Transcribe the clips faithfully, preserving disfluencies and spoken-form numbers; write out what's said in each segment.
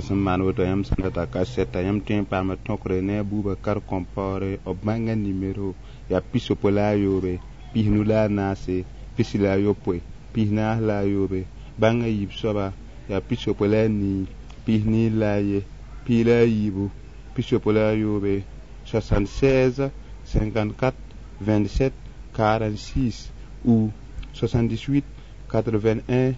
Sẽn maan woto yãmb sã n data kasɛta yãmb tõe n paama tõkre ne a Bubakar Compaoré b bãnga nimero yaa pisopoe la a yoobe pisnu la a naase pisi la a yopoe pis-naas la a yoobe bãnga yiib soaba yaa pisopoe la a nii pis-nii la a ye pii la a yiibu pisopoe la a yoobe soixante-seize cinquante-quatre vingt-sept quarante-six ou soixante-dix-huit quatre-vingt-un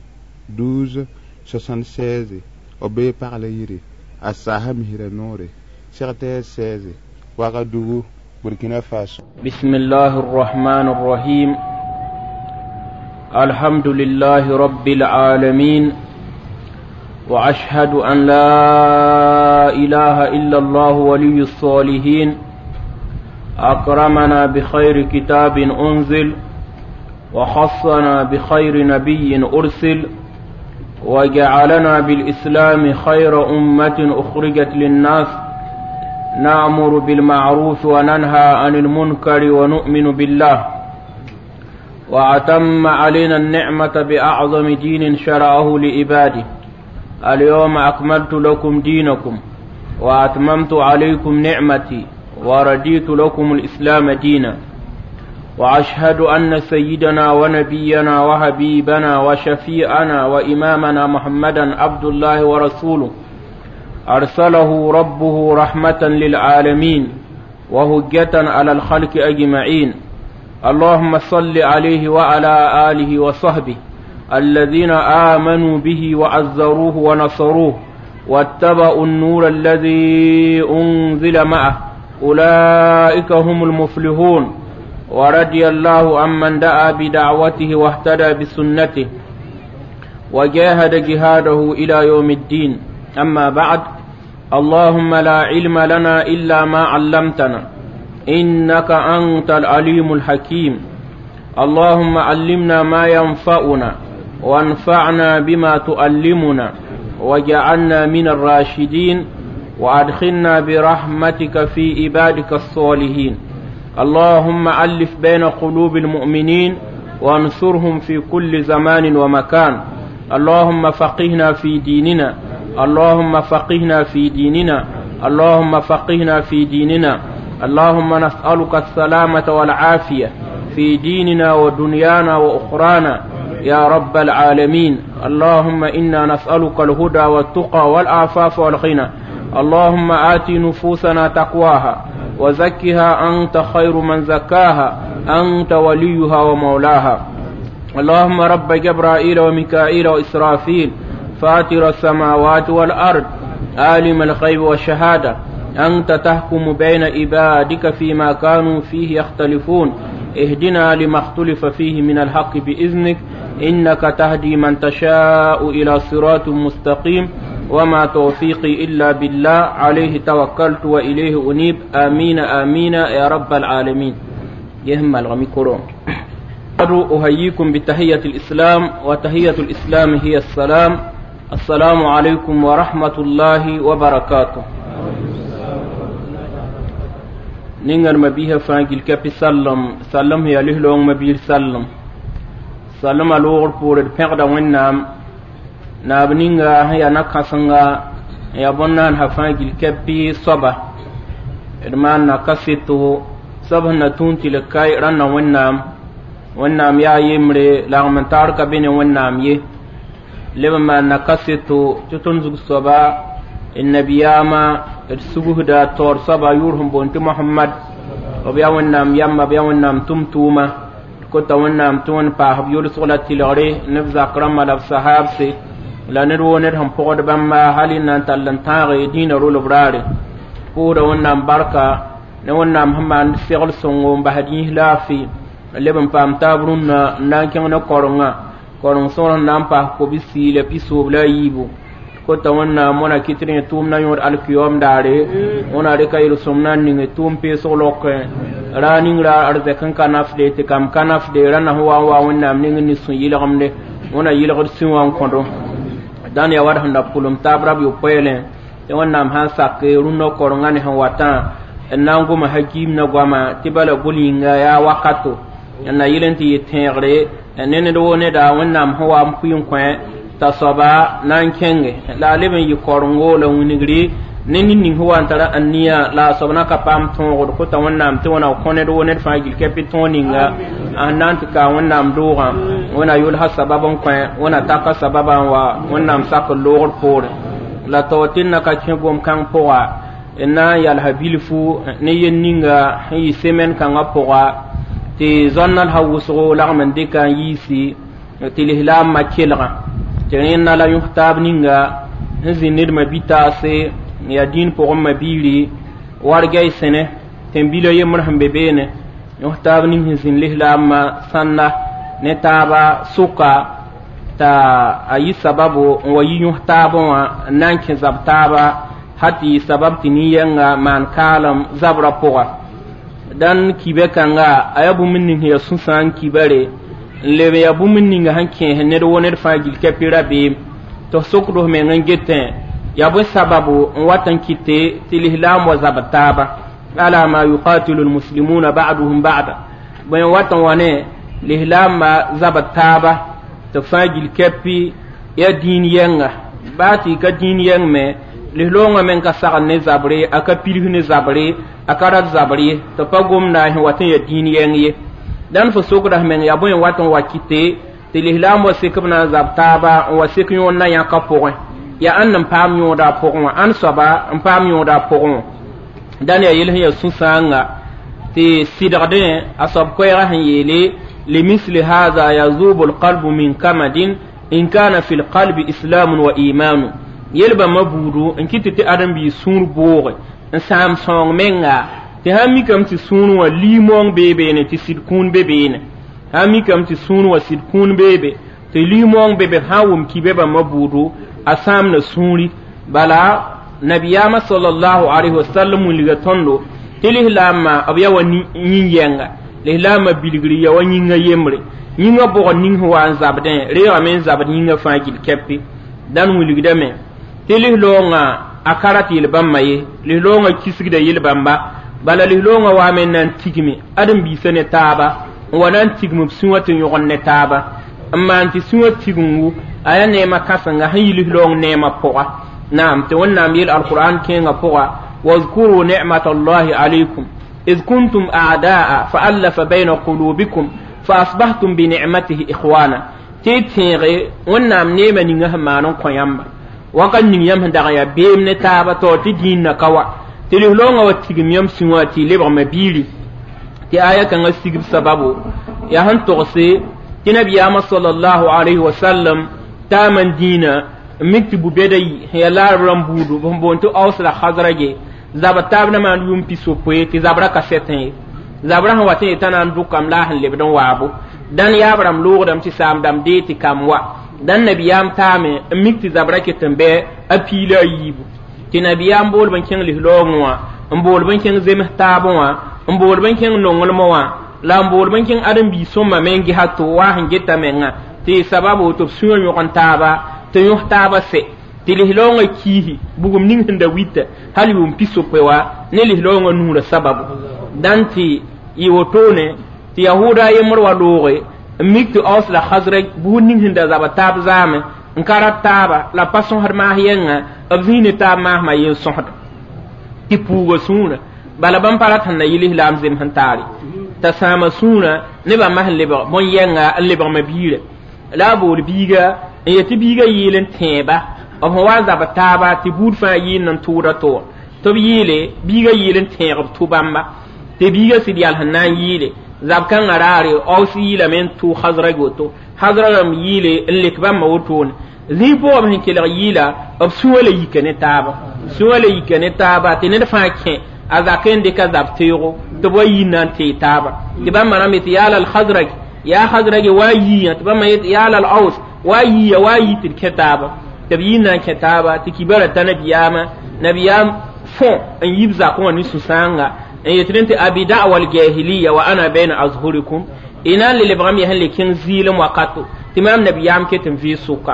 douze soixante-seize b bee pagla yiri a saasa misra noore secteur seize Ouagadougou Burkina Faso. بسم الله الرحمن الرحيم الحمد لله رب العالمين وأشهد أن لا إله إلا الله ولي الصالحين أكرمنا بخير كتاب أنزل وخصنا بخير نبي أرسل وجعلنا بالإسلام خير أمة أخرجت للناس نأمر بالمعروف وننهى عن المنكر ونؤمن بالله وأتم علينا النعمة بأعظم دين شرعه لعباده اليوم أكملت لكم دينكم وأتممت عليكم نعمتي ورديت لكم الإسلام دينا وأشهد أن سيدنا ونبينا وحبيبنا وشفيعنا وإمامنا محمدا عبد الله ورسوله أرسله ربه رحمة للعالمين وهجة على الخلق أجمعين اللهم صل عليه وعلى آله وصحبه الذين آمنوا به وعزروه ونصروه واتبعوا النور الذي أنزل معه أولئك هم المفلحون ورضي الله عمن دعا بدعوته واهتدى بسنته وجاهد جهاده إلى يوم الدين أما بعد اللهم لا علم لنا إلا ما علمتنا إنك أنت العليم الحكيم اللهم علمنا ما ينفعنا وانفعنا بما تؤلمنا وجعلنا من الراشدين وأدخلنا برحمتك في عبادك الصالحين اللهم ألف بين قلوب المؤمنين وانصرهم في كل زمان ومكان اللهم فقهنا في ديننا اللهم فقهنا في ديننا اللهم فقهنا في ديننا اللهم نسألك السلامة والعافية في ديننا ودنيانا وأخرانا يا رب العالمين اللهم إنا نسألك الهدى والتقى والعفاف والغنى اللهم آت نفوسنا تقواها وزكها أنت خير من زكاها أنت وليها ومولاها اللهم رب جبرائيل وميكائيل وإسرافيل فاتر السماوات والأرض عالم الغيب والشهادة أنت تحكم بين عبادك فيما كانوا فيه يختلفون اهدنا لما اختلف فيه من الحق بإذنك إنك تهدي من تشاء إلى صراط مستقيم وما توفيقي إلا بالله عليه توكلت وإليه أنيب آمين آمين يا رب العالمين يهم الغمي كروم أهييكم بتحية الإسلام وتحية الإسلام هي السلام السلام عليكم ورحمة الله وبركاته ningar mabiha fãa gil kapi sallam sallam ya lislong mabiir sallam sallam a loogr poore d pẽgda wẽnnaam naab ninga sẽn yaa na-kãsenga n yaa bõn-naansa fãa gil kapi soaba d maan na kaseto soab sẽn na tũun tɩ l kae rãnda wẽnnaam wẽnnaam yaa yembre lagm n taar ka be ne wẽnnaam ye leb n maan na kaseto tɩ tõnd zug soaba d nabiyaamã d sugusda taoor soaba yʋʋr sẽn boond tɩ mohamad b yaa wẽnnaam yamba b yaa wẽnnaam tʋm-tʋʋma d kota wẽnnaam tɩ wẽnd paas b yolsg la tɩlgre ne b zak rãmbã la b sahaabse la ned woo ned sẽn pʋgd bãmba hal y na n tall n tãage dĩinã rolb raare pʋʋsda wẽnnaam barka ne wẽnnaam sẽn maand segl sõngo n basd yĩs laafɩ leb n paam taab rũnnã n na n kẽng ne korengã koreng sõor sẽn na n paas kobsi la pisoob la a yiibu kota wẽnnaam wãna kɩt rẽ tʋʋm na yõod alkiyoom daare wẽna rɩka yel-sõm na n ning tʋʋm peesg lokẽ ra ning ra arzɛk n ka nafde tɩ kam ka nafde rãnda sẽn wa n wa wẽnnaam ning n ne sũ-yɩlgemde wẽna yɩlgd sũ wã n kõdo dãn yaa wa d sẽn da pʋlem taab rab yopoeelẽ tɩ wẽnnaam sã n sak rũnnã korengã ne sẽn watã n na n goma hakiim na goama tɩ bala bʋl yĩnga yaa wakato n na yɩl n tɩ yɩ tẽegre ne ned woo neda wẽnnaam sẽn wa n pʋɩ n kõ T'a soaba na n kẽnge la a leb n yɩ korengo la wingri ne ned ning sẽn wa n tara aniya la a soab na ka paam tõogd kota Wẽnnaam tɩ wẽna kõ ned wo ned fãa gil kɛpɩ tõog ninga a sẽn na n tɩ kaa Wẽnnaam doogã Wẽnna yʋlsa sabab n kõ Wẽnna taka sababã n wa Wẽnnaam sakr loogr poore la tao tɩ d na ka kẽ gom-kãng pʋga n na n yalsa bilfu ne yel ninga sẽn yɩ semɛn kãngã pʋga tɩ zoa-nalsã wʋsgo lagm n dɩka n yiisi tɩ lislaambã kelgã tɩ rẽnda la yõs taab ninga sẽn zĩ ned ma-bi-taase yaa dĩin pʋgẽ ma-biiri wargɛy sẽne tẽn-bila yembr sẽn be beene yõs taab ning sẽn zĩnd lislaambã sãnda ne taaba sʋka t'a a yɩ sababo n wa yi yõs taabã wã n na n kẽ zab taaba hal tɩ yɩ sabab tɩ nin-yɛnga maan kaalem zabrã pʋga dãn kibɛ kãnga a yaa bũmb ning sẽn yaa sũ-sãang kibare n leb n yaa bũmb ninga sẽn kẽes ned wo ned fãa gil kɛpɩ rabeem tɩ f sokd f meng n getẽ yaa bõe sababu n wat n kɩte tɩ lislaam wa zabd taaba ala ma yuqatilu lmuslimuna ba'duhum ba'da bõe n wat n wa ne lislaambã zabd taaba tɩ fãa gil kɛpɩ yaa dĩin yɛnga baa tɩ y ka dĩin yɛng me lislaoongã meng ka sagd ne zabre a ka pids ne zabre a ka rat zabr ye tɩ pa gomda sẽn wat n yaa dĩin yɛng ye dãn fo sokda f meng yaa bõe n wat n wa kɩte tɩ lislaam wa sek b na n zab taaba n wa sek yõod na yãka pʋgẽ yaa ãnd n paam yõoda a pʋgẽ wã ãnd soaba n paam yõoda a pʋgẽ wã dãn yaa yel sẽn yaa sũ-sãanga tɩ sɩdgdẽ a soab koɛɛgã sẽn yeele limisli haza yazubu lqalbu min kamadin in kana fi lqalbi islamun wa imanu yel bãmba buudu n kɩt tɩ ãdem-biis sũur booge n sãam sõong menga tɩ sãn mikame tɩ sũur wã liimoong bee beene tɩ sɩd kũun be beene sãn mikame tɩ sũur wã sɩd kũun beebe tɩ liimoong be be sã n wʋm kibe bãmba buudu a sãamda sũuri bala nabiyaamã salallahu alayhi wasallam wilga tõndo tɩ lislaambã b yaa wa yĩn-yɛnga lislaambã bilgri yaa wa yĩngã yembre yĩngã bʋgd ning sẽn wa n zabdẽ reegame n zabd yĩngã fãa gil kɛpɩ dãn wilgdame tɩ lislaoongã a ka rat yel-bãmbã ye lislaoongã kisgda yel-bãmba bala lislaoongã waame n na n tigme ãdem-biisã ne taaba n wa na n tigm b sũwã tɩ yõgen ne taaba n maan tɩ sũwã tigengu a yaa neemã kãsenga sẽn yi lislaoong neemã pʋga naam tɩ Wẽnnaam yeel alqur'an kẽengã pʋga واذكروا نعمة الله عليكم إذ كنتم أعداء فألف بين قلوبكم فأصبحتم بنعمته إخوانا tɩ y tẽege Wẽnnaam neemã ninga sẽn maan n kõ yãmba wakat ning yãmb sẽn dag n yaa beem ne taaba taoor tɩ dĩinã ka wa tɩ lislaoongã wa tigm yãmb sũwã tɩ y lebgma biiri tɩ aya kãngã sigb sababu yaa sẽn togse tɩ nabiyaamã salallahu alayhi wa sallam taam n dĩinã n mik tɩ bu-bɛda yi sẽn yaa laarb rãmb buudu sẽn boond tɩ Aus la Khazraje zab taab na maan yʋʋm pis-yopoe tɩ zabrã ka sɛtẽ ye zabrã sẽn wat n yetã na n dʋkame la a sẽn lebd n waabo dãn yaab rãmb loogdame tɩ saam dãmb dee tɩ kam wa dãn nabiyaam taame n mik tɩ zabrã ket n bɩ a piila a yiibu tɩ nabiyaam boolb n kẽng lislaoongẽ wã n boolb n kẽng zems taabẽ wã n boolb n kẽng nonglmẽ wã la n boolb n kẽng ãdem-biis sõma me n gesa to wa sẽn geta menga tɩ sababu tɩ b sũyã yõgen taaba tɩ yõs taaba sɛ tɩ lislaoongã kiisi bugum ning sẽn da wita hal yʋʋm pis-yopoe wa ne lislaoongã nuurã sababu dãn tɩ yɩ wotone tɩ yahuda a yembr wa looge n mik tɩ Aus la Khazraj buud ning sẽn da zaba taab zaame n ka rat taaba la pa sõsd maas yɛnga b zĩig ne taab maasmã yen sõsda tɩ puuga sũurã bala bãmb pa rat sẽn na yɩ lislaam zems n taare t'a sãama sũurã ne bãmba sẽn lebg bõn-yɛnga n lebgma biirã la a bool biiga n yetɩ biigã yeel n tẽeba b sẽn wa n zab taaba tɩ buud fãa yɩɩnd n tʋʋda tʋʋr tɩ b yeele biigã yeel n tẽeg b tʋ-bãmba tɩ biigã sɩd yals n na n yɩɩle zab kãngã raare Aus yɩɩlame n tʋ Khazraj woto Khazraj rãmb yɩɩle n lek bãmba wotone zĩig pʋgã b sẽn kelg yɩɩla b sũwã la yika ne taaba sũwã la yika ne taaba tɩ ned fãa kẽ a zakẽ n dɩka zab teoogo tɩ b wa yɩ na n tee taaba tɩ bãmba rãmb yetɩ yaa lal Khazraj yaa Khazraj wa yiiyã tɩ bãmba yetɩ yaa lal Aus wa yiiya wa yi tɩ d kẽ taaba tɩ b yɩ na n kẽ taaba tɩ kibara ta nabiyaamã nabiyaam fõ n yib zakẽ wã ne sũ-sãanga n yetɩ tɩ abi da'wa aljahiliya wa ana baina azhurikum ina n le lebgame yaa sẽn le kẽng zɩɩlem wakato tɩ maam nabiyaam ket n vɩɩ sʋka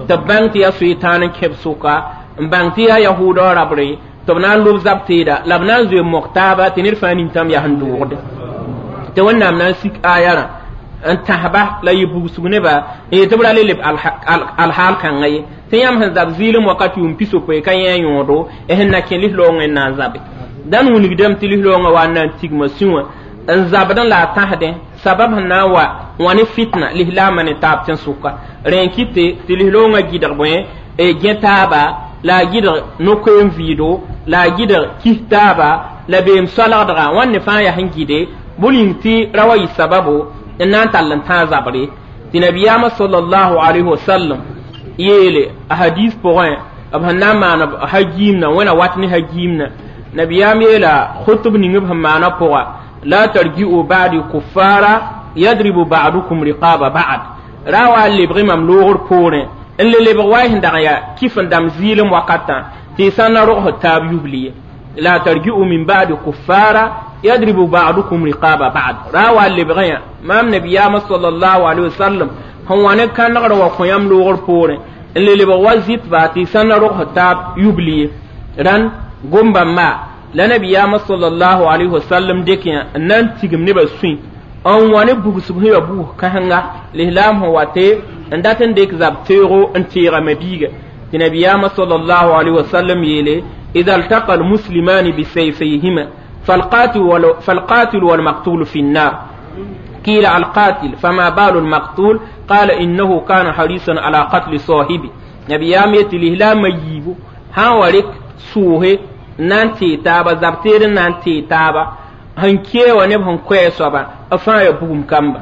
tɩ b bãng tɩ yaa soetãan n kẽb sʋka n bãng tɩ yaa yahuudã rabre tɩ b na n lob zab teeda la b na n zoe mok taaba tɩ ned fãa nintãm yaa sẽn doogde tɩ Wẽnnaam na n sik ayarã n tãsba la yɩ bugsg neba n yetɩ b ra le leb alhaal kãngã ye tɩ yãmb sẽn zab zɩɩlem wakat yʋʋm pis-yopoe ka yẽ a yõodo sẽn na kẽ lislaoongẽ n na n zabe dãn wilgdame tɩ lislaoongã wa n na n tigma sũ wã n zabdẽ la a tãsdẽ sabab sẽn na n wa wã ne fitna lislaambã ne taab tẽn-sʋka rẽ n kɩte tɩ lislaoongã gɩdg bõe gẽ taaba la a gɩdg no-koeem vɩɩdo la a gɩdg kis taaba la beem soalgdga wãnd ne fãa yaa sẽn gɩde bõn yĩng tɩ ra wa yɩ sababo n na n tall n tãag zabre tɩ nabiyaamã sallallahu alayhi wasallam yeele a hadis pʋgẽ b sẽn na n maan hagiimna wẽna wat ne hagiimna nabiyaam yeela khutb ning b sẽn maana pʋga la tarji'u ba'di kuffara yadribu ba'dukum riqaba ba'd ra wa n lebg mam loogr poorẽ n le lebg wa y sẽn dag n yaa kif n dãmb zɩɩlem wakatã tɩ y sã n na rogsd taab yubli ye la tarji'u min ba'di kuffara yadribu ba'dukum riqaba ba'd ra wa n lebg yã maam nabiyaamã sallallahu alayhi wasallam sẽn wa ne kãnegrã wa kõ yãmb loogr poorẽ n le lebg wa zɩtba tɩ y sã n na rogsd taab yubli ye rãn gom-bãmba la nabiyaamã sallallahu alayhi wasallam dɩk yã n na n tigim nebã sũy n wa ne bugsg sẽn ya bugs kãsenga lislaam sẽn wa tɩ n dat n dɩk zab teoogo n teega mabiiga tɩ nabiyaamã sallallahu alayhi wasallam yeele ida altaqa almuslimani bisayfayhima فالقاتل والمقتول في النار قيل القاتل فما بال المقتول قال إنه كان حريصا على قتل صاحبه نبيام يتلي لا ميبو ها ورك سوه nan tee taaba zab teed n na n tee taaba sẽn kee wa neb sẽn koɛɛ soaba b fãa ya bugum kamba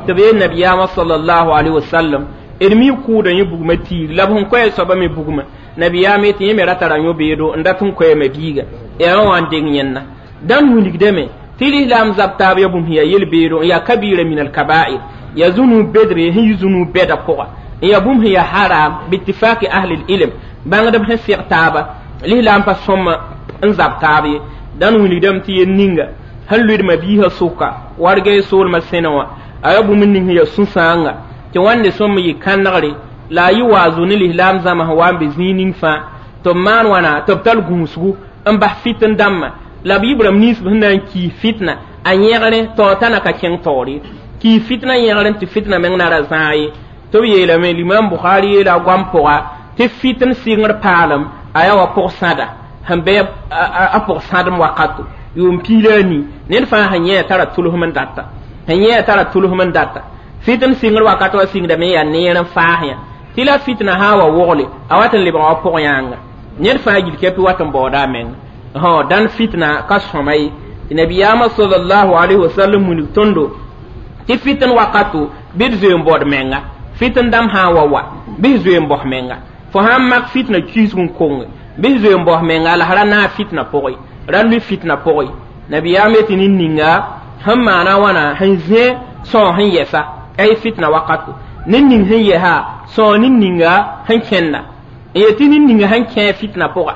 tɩ b yeel nabiyaamã sallallahu alaihi wasallam d mi kʋʋda yẽ bugmã tiir la b sẽn koɛɛ soaba me bugmã nabiyaam yetɩ yẽ me ra tara yõ-beedo n dat n koɛɛ mabiiga yaa wã n deng yẽnna dãn wilgdame tɩ lislaam zab taab ya bũmb sẽn yaa yel-beedo n yaa kabira min alkabair ya zũnub bedre sẽn yi zũnub bɛda pʋga n yaa bũmb sẽn yaa haram bitifaki ahli ilm bãngdb sẽn seg taaba lislaam pa sõma n zab taab ye dãn wilgdame tɩ yel ninga sẽn luid mabiisã sʋka warga y soolmã sẽne wã a yaa bũmb ning sẽn yaa sũ-sãanga tɩ wãnde sõm yɩ kãnegre la a yɩ waazo ne lislaam zãma sẽn wa n be zĩig ning fãa tɩ b maan wãna tɩ b tall gũusgu n bas fitn dãmbã la b yɩ-b rãmb nins sẽn na n kiis fitna a yẽgre taoor t'a na ka kẽng taoore kiis fitna yẽgre tɩ fitna meng na ra zãag ye tɩ b yeelame limam bukhari yeela a goam pʋga tɩ fitn sɩngr paalem a yaa wa pʋg-sãda sẽn bɩ a pʋg-sãdem wakato yʋʋm piig la a nii ned fãa sẽn yẽ tara tʋlsem n data sẽn yẽ tara tʋlsem n data fitn sɩngr wakat wa sɩngdame yaa neer n faas yã tɩ la fitna sã n wa wogle a wat n lebga wa pʋg-yãanga ned fãa gil kɛpɩ wat n baooda a menga hõ dãn fitna ka sõma ye tɩ nabiyaamã sallallahu alayhi wasallam wilg tõndo tɩ fitn wakato bɩ d zoe n baood menga fitn dãmb sã n wa wa bɩ s zoe n baos menga fo sã n mak fitna kiisg n konge bɩ s zoe n baos menga la ra naag fitna pʋgẽ ra lʋɩ fitna pʋgẽ nabiyaam yetɩ nin-ninga sẽn maana wãna sẽn zẽ sõo sẽn yɛsa ay fitna wakato ned ning sẽn yɛsa sõo nin-ninga sẽn kẽnda n yetɩ nin-ninga sẽn kẽ fitna pʋgã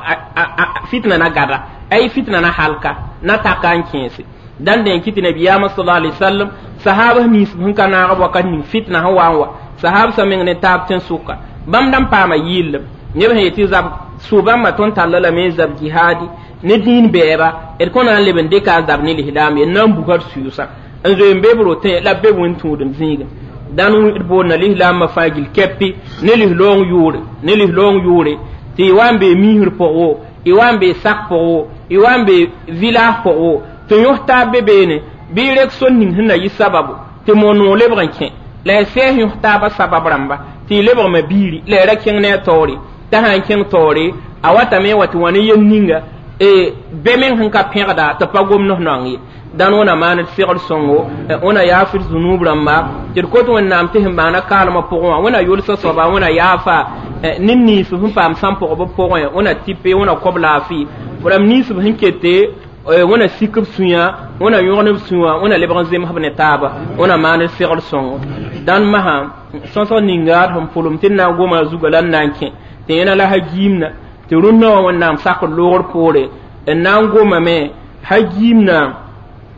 fitna na gada ay fitna na halka na taka n kẽese dãn dẽn kɩ tɩ nabiyaamã sala alai sallam sahaab nins sẽn ka naag b wakat ning fitna sẽn wa n wa sahaab sã meng ne taab tẽn-sʋka bãmb dãn paama yɩllem neb sẽn yetɩ zab sũ-bãmbã tõnd talla lame n zab jihaadi ne dĩin bɛɛba d kõ na n leb n dɩka a zab ne lislaam ye n na n buka d sʋʋsã n zoe n be b rotẽ la b be wẽn-tũudem zĩigẽ dãn d boonna lislaambã fãa gil kɛpɩ ne lislaoong yʋʋre ne lislaoong yʋʋre tɩ y wa n bee miisr pʋg wo y wa n bee sak pʋg wo y wa n bee village pʋg wo tɩ yõs taab be beene bɩ y rek sor ning sẽn na yɩ sababu tɩ mo-noog lebg n kẽ la y sɛɛs yõs taabã sabab rãmba tɩ y lebgma biiri la y ra kẽng ne a taoore t'a sã n kẽng taoore a watame wa tɩ wã ne yel ninga be meng sẽn ka pẽgda tɩ pa gom nos-naong ye dãn wẽna maan d segd sõngo wẽna yaaf d zunub rãmba tɩ d kot wẽnnaam tɩ sẽn maana kaalmã pʋgẽ wã wẽna yʋlsã soaba wẽna yaafa ned nins sẽn paam sãn-pʋgb pʋgẽ wẽna tɩpe wẽna kob laafɩ rãmb nins sẽn kete wẽna sik b sũyã wẽna yõgen b sũyã wẽna lebg n zemsb ne taaba wẽna maan d segd sõngo dãn masã sõsg ninga d sẽn pʋlem tɩ d na n goma a zugã la n na n kẽ tɩ yẽna la hagiimna tɩ rũnnã wã wẽnnaam sakr loogr poore n na n gomame hagiimna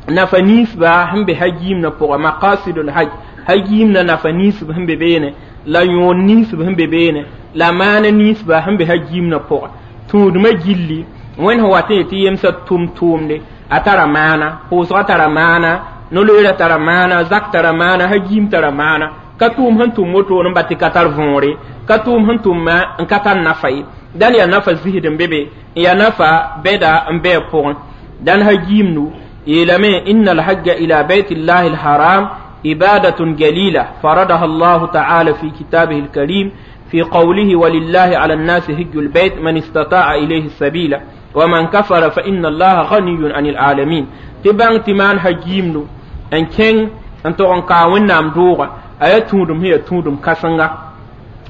nafa ninsba sẽn be hagiimna pʋga maqasidul haj hagiimna nafa ninsb sẽn be beene la yõor ninsb sẽn be beene la maana ninsba sẽn be hagiimna pʋga tũudmã gilli wẽnd sẽn wat n yetɩ yemsã tʋm tʋʋmde a tara maana pʋʋsgã tara maana No-loeera tara maana, zak tara maana, hagiim tara maana. Ka tʋʋm sẽn tʋm woto n ba tɩ ka tar võore, ka tʋʋm sẽn tʋmma n ka tar nafa ye. Dãn yaa nafa zisd n be be, n yaa nafa bɛda n bɩ a pʋgẽ. Dãn hagiimdu yeelame inna alhajja ila baytillahi alharam ibadatun jalila faradaha allahu taala fi kitabihi alkarim في قوله ولله على الناس هج البيت من استطاع إليه السبيل ومن كفر فإن الله غني عن العالمين. تبان تمان هجيمنو أن كين أن تغن كاون نام دوغا أي تودم هي تودم كسنغا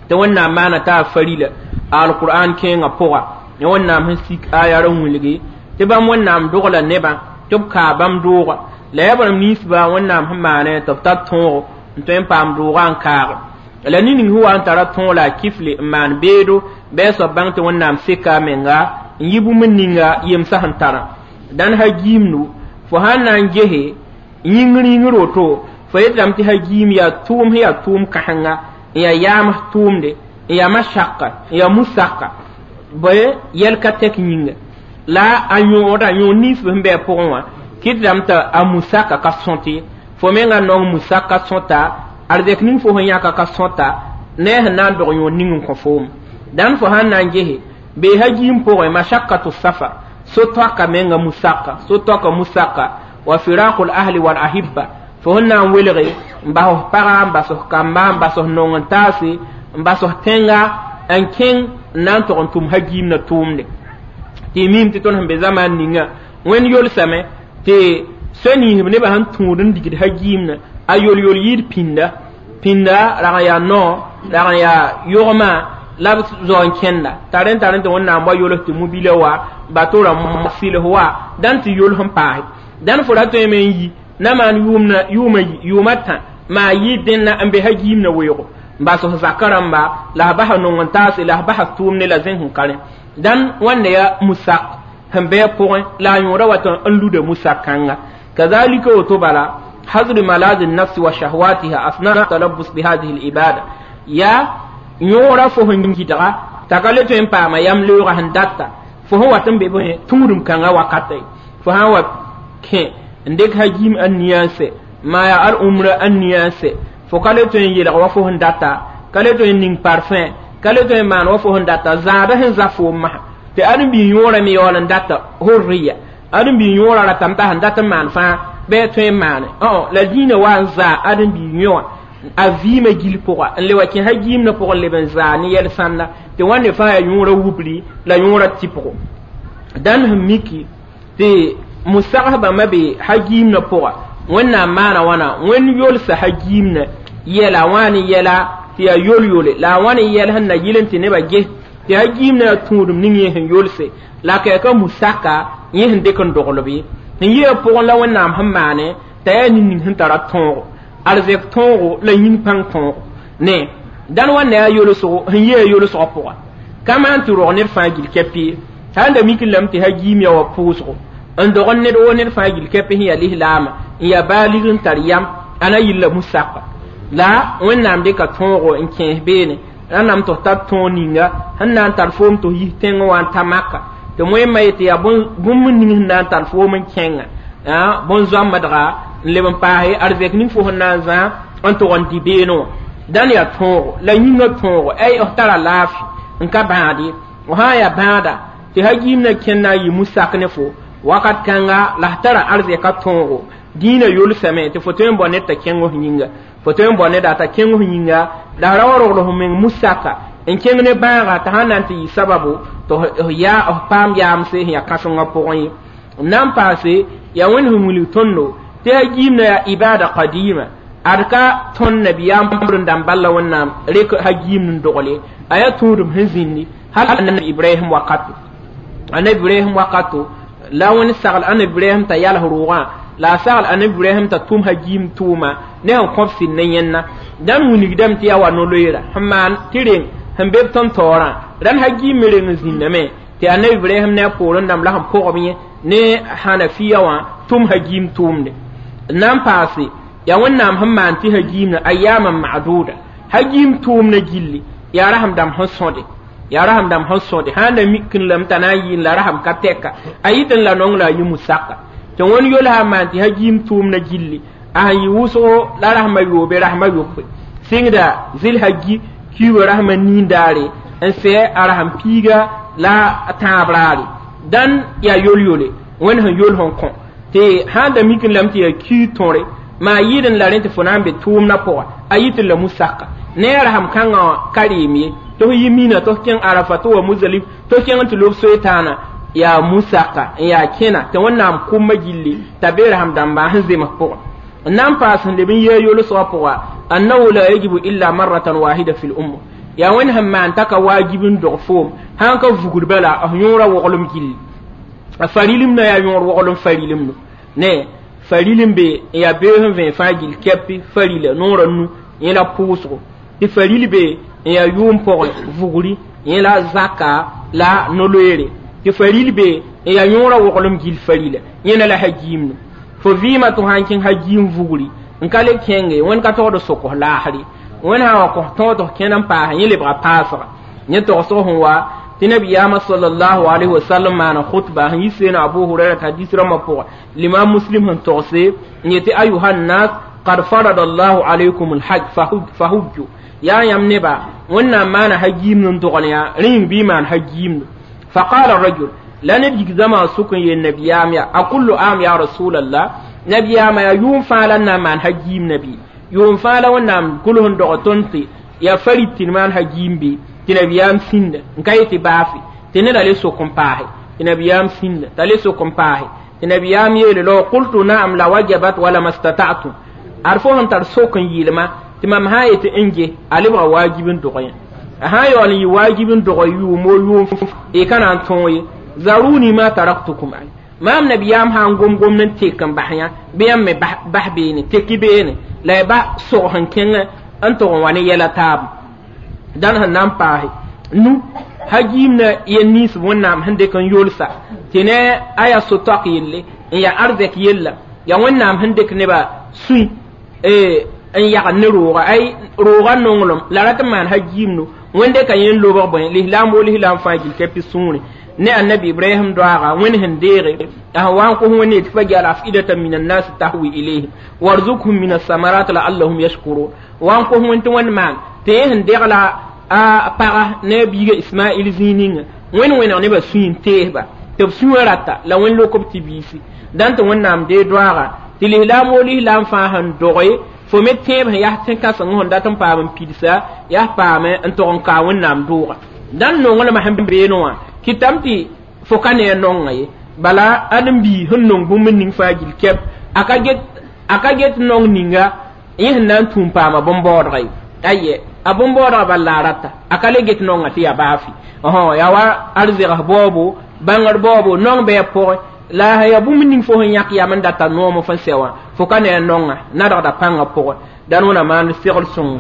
تون مانا تا فريلة القرآن كين أبوغا يون نام هنسيك آية رونلغي تبان ون نام دوغلا نبا تب كابام دوغا لا يبرم نيسبا ون نام همانا تبتات تونغ نتوين بام دوغا انكار la ning huwa n tara tõog la a kifle n maan beedo bɩ a soab bãng tɩ Wẽnnaam seka a menga n yi bũmb ninga yemsã sẽn tarã. Dãn hagiimdu fo sãn na n gese yĩngr yĩngr woto fo yetame tɩ hagiim yaa tʋʋm sẽn yaa tʋʋm kãsenga n yaa yaams tʋʋmde n yaa masaka n yaa musaka bɩ yɛl ka tɛk yĩnga la a yõoda yõod ninsb sẽn bɩ a pʋgẽ wã kɩtdame t'a a musaka ka sõt ye. Fo menga nong musaka sõta arzɛk ning fo sẽn yãka ka sõta ne a sẽn na n dog yõod ning n kõ foom. Dãn fo sãn na n gese bee hagiim pʋgẽ mashakatu safar so-toaka menga musaka so-toaka musaka wa firaqul ahli wal ahibba fo sẽn na n welge n bas f paga n bas f kamba n bas f nong n taase n bas f tẽnga n kẽng n na n tog n tʋm hagiim na tʋʋmde. Tɩ y miime tɩ tõnd sẽn be zamaan ninga Wẽnd yolsame tɩ soa ninsb nebã sẽn tũud n digd hagiimna a yol-yol yɩɩd pĩnda pĩnda rag n yaa nao rag n yaa yogmã la b zao n kẽnda t'a rẽn tar tɩ Wẽnnaam wa yols tɩ mobila wa bato rãmb sɩls wa dãn tɩ yols n paase. Dãn fo ra tõeme n yi na maan yʋʋma yʋʋma tã maa yɩɩd dẽnna n be hagiimna weoogo n bas f zakã rãmba la f basa nong n taase la f basa tʋʋmde la zẽs n ka rẽ. Dãn wãnda yaa musak sẽn bɩ a pʋgẽ la a yõoda wat n luda musak kãnga. Kazalika woto bala حظر ملاذ النفس وشهواتها أثناء التلبس بهذه الإبادة يا يورا فهن جدغا تقالت إن باما يملو غهن داتا فهو واتن بيبه تورم كان وقتي فهو كي ndek hajim an niyanse ma ya al umra an niyanse fo kale to yin yelga wa fo data kale to yin ning parfum kale to yin man wa fo data zaada hen za fo ma te an bi yora mi yolan data hurriya an bi yora la tamta han data man fa bɩ tõe n maane la dĩinã wa n zaa ãdem-biig yõ wã a vɩɩmã gil pʋga n le wa kẽ hagiimnã pʋgẽ leb n zaa ne yɛl sãnda tɩ wãnde fãa yaa yõorã wubri la yõorã tɩpgo. Dãn sẽn miki tɩ musagsbãmbã be hagiimnã pʋga Wẽnnaam maana wãna Wẽnd yolsa hagiimnã yɛla wã ne yɛla tɩ yaa yol-yole la a wã ne yɛl sẽn na yɩl n tɩ nebã ges tɩ hagiimnã yaa tũudum ning yẽ sẽn yolse la kɛɛka musaka yẽ sẽn dɩk n doglb ye. Sẽn yɩa pʋgẽ la Wẽnnaam sẽn maane t'a yaa nin-ning sẽn tara tõogo arzɛk tõogo la yĩng pãng tõogo ne dãn wãnda yaa yolsgo sẽn yɩa yolsgã pʋga ka maan tɩ rog ned fãa gil kɛpɩ ye sã n da mik lame tɩ hagiim yaa wa pʋʋsgo n dog ned woo ned fãa gil kɛpɩ sẽn yaa lislaama n yaa baalig n tar yam a na yilla musaka la Wẽnnaam dɩka tõogo n kẽes beene rãnname tɩ f tar tõog ninga sẽn na n tar foom tɩ f yis tẽngẽ wã n ta maka tɩ moẽmã yetɩ yaa bũmb ning sẽn na n tar foom n kẽnga bõn-zoambdga n leb n paase arzɛk ning fo sẽn na n zã n tʋg n dɩ beene wã. Dãn yaa tõogo la yĩngã tõogo ay f tara laafɩ n ka bãad ye. F sã n yaa bãada tɩ hagiimnã kẽnd na n yɩ musak ne fo wakat kãnga la f tara arzɛka tõogo dĩinã yolsame tɩ fo tõe n bao ned t'a kẽng f yĩnga fo tõe n bao neda t'a kẽng f yĩnga la f ra wa rogl f meng musaka n kẽng ne bãaga t'a sãn na n tɩ yɩ sababu tɩ f yaa f paam yaamse sẽn yaa kãsengã pʋgẽ ye. N na n paase yaa Wẽnd sẽn wilg tõndo tɩ hagiimnã yaa ibada qadima ad ka tõnd nabiyaam n dãmb balla Wẽnnaam rek hagiimd n dogle a yaa tũudum sẽn zĩndi hal annabi Ibrahim wakato annabi Ibrahim wakato la Wẽnd sagl annabi Ibrahim t'a yals roogã la a sagl annabi Ibrahim t'a tʋm hagiim tʋʋma ne sẽn kõb sɩd ne yẽnna. Dãn wilgdame tɩ yaa wa no-loeera sẽn maan tɩ reng sẽn be b tõnd taoorã rãnd hagiim me reng n zĩndame tɩ annabi Ibrahim ne a poorẽ dãmb la sẽn pʋgb yẽ ne hanafiya wã tʋm hagiim tʋʋmde. N na n paase yaa Wẽnnaam sẽn maan tɩ hagiimna ayaman maduda hagiim tʋʋmna gilli yaa rasem dãmb sẽn sõde yaa rasem dãmb sẽn sõde sãn da mik n lame t'a na n yɩɩn la rasem ka tɛka a yɩt n la nong la a yɩ musaka tɩ wẽnd yolsa n maan tɩ hagiim tʋʋmna gilli A sẽn yɩ wʋsgo la rasma yoobe rasma yopoe sɩngda zɩlhagi kiuugã rasma nin-daare n sɛ a rasem piiga la a tãab raare dãn yaa yol-yole wẽnd sẽn yol sẽn kõ tɩ sãn da mik n lame tɩ yaa kiig tõre maa yɩɩd n la rẽ tɩ fo na n be tʋʋmdã pʋga a yɩ tɩ la musaka ne a rasem kãngã wã ka reem ye tɩ f yi mina tɩ f kẽng arafa tɩ wa muzalif tɩ f kẽng n tɩ lob soe-taana yaa musaka n yaa kẽna tɩ wẽnnaam kʋmã gilli t'a be rasem dãmba sẽn zems pʋgẽ n na n paas sẽn leb n yee yolsgã pʋga annahu la yajibu illa marratan wahida fi lumma yaa wẽnd sẽn maan t'a ka waajib n dog foom sãn ka vugd bala f yõora woglem gilli a farilim na yaa yõor woglem farilim no ne farilim be n yaa beoog sẽn vẽ fãa gill kɛpi farila noorã nu yẽ la pʋʋsgo tɩ faril be n yaa yʋʋm pʋgẽ vugri yẽ la zaka la no-loeere tɩ faril be n yaa yõorã woglem gill farila yẽna la hagiimno fo vɩɩmã tɩ sã n kẽng hagiim vugri n ka le kẽnge wẽnd ka togd sokos laasre wẽnd sã wa kos tõog tɩ f kẽnd n paas yẽ lebga paasga yẽ togsg sẽn wa tɩ nabiyaamã sallallahu alayhi wasallam maana khutba sẽn yi seena abu huraira t'a hadis rãmbã pʋgã limam muslim sẽn togse n yetɩ ayuha nnas qad farada allahu alaykum alhaj fahujju yaa yãmb neba wẽnnaam maana hagiimd n dogl yã rẽ yĩng bɩ maan hagiimdo faqala rajul la ned yik zãma sʋk n yeel nabiyaam yaa a kullu am ya rasulallah nabiyaamã yaa yʋʋm fãa la n na n maan hagiim nabi yʋʋm fãa la wẽnnaam gʋls n dog tõnd tɩ yaa farid tɩ d maan hagiim be tɩ nabiyaam sĩnda n ka yetɩ baafe tɩ neda le sok n paase tɩ nabiyaam sĩnda t'a le sok n paase tɩ nabiyaam yeele law qultu naam la wajabat wala mastata'tum ad fo sẽn tar sok n yɩɩlma tɩ mam sã n yetɩ n ge a lebga waajib n dog yẽ a sã n yaool n yɩ waajib n dog yʋʋmo yʋʋm y ka na n tõog ye zaruni ma taraktukum al maam nabiyaam sã n gom gomd n tek n bas yã bɩ yãmb me bas beene teki beene la y ba sog sẽn kẽng n tʋg n wa ne yɛla taabo dãn sẽn na n paase nu hagiimna yel nins wẽnnaam sẽn dɩk n yolsa tɩ ne a yaa so-toak yelle n yaa arzɛk yella yaa wẽnnaam sẽn dɩk nebã sũy n yagd ne rooga ay roogã nonglem la rat n maan hagiimno wẽnde ka yẽ n lobg bõe lislaam wo lislaam fãa gill ka pis sũure ne annabi ibrahim doaga wẽnd sẽn deege a sẽn wa n kos wẽnd yetɩ fajal afidatan min annas tahwi ilayhim warzukhum min alsamarat laallahum yashkurun wa n kos wẽnd tɩ wẽnd maan tɩ yẽ sẽn degla a paga ne a biiga ismail zĩig ninga wẽnd wẽneg nebã sũy n teesba tɩ b sũwã rata la wẽnd lok b tɩ biisi dãn tɩ wẽnnaam dee doaaga tɩ lislaam wo lislaam fãa sẽn doge fo me tẽeb sẽn yaa tẽn-kãseng sẽn dat n paam n pidsa yaa paame n tog n kaa wẽnnaam dooga dãn nonglmã sẽn beene wã kɩtame tɩ fo ka ne a nonga ye bala ãdem-bii sẽn nong bũmb ning fãa gill kɛp a ka get a ka get nong ninga yẽ sẽn na n tũum paama bõn-baoodga ye aye a bõn-baoodga bal la a rata a ka le get nonga tɩ yaa baafi yaa wa arzɛgs baoobo bãngr baoobo nong bɩ a pʋgẽ la yaa bũmb ning fo sẽn yãk yam n data noom fõn sɛ wã fo ka ne a nonga nadgda pãngã pʋgẽ dãn wẽna maan segl sõngo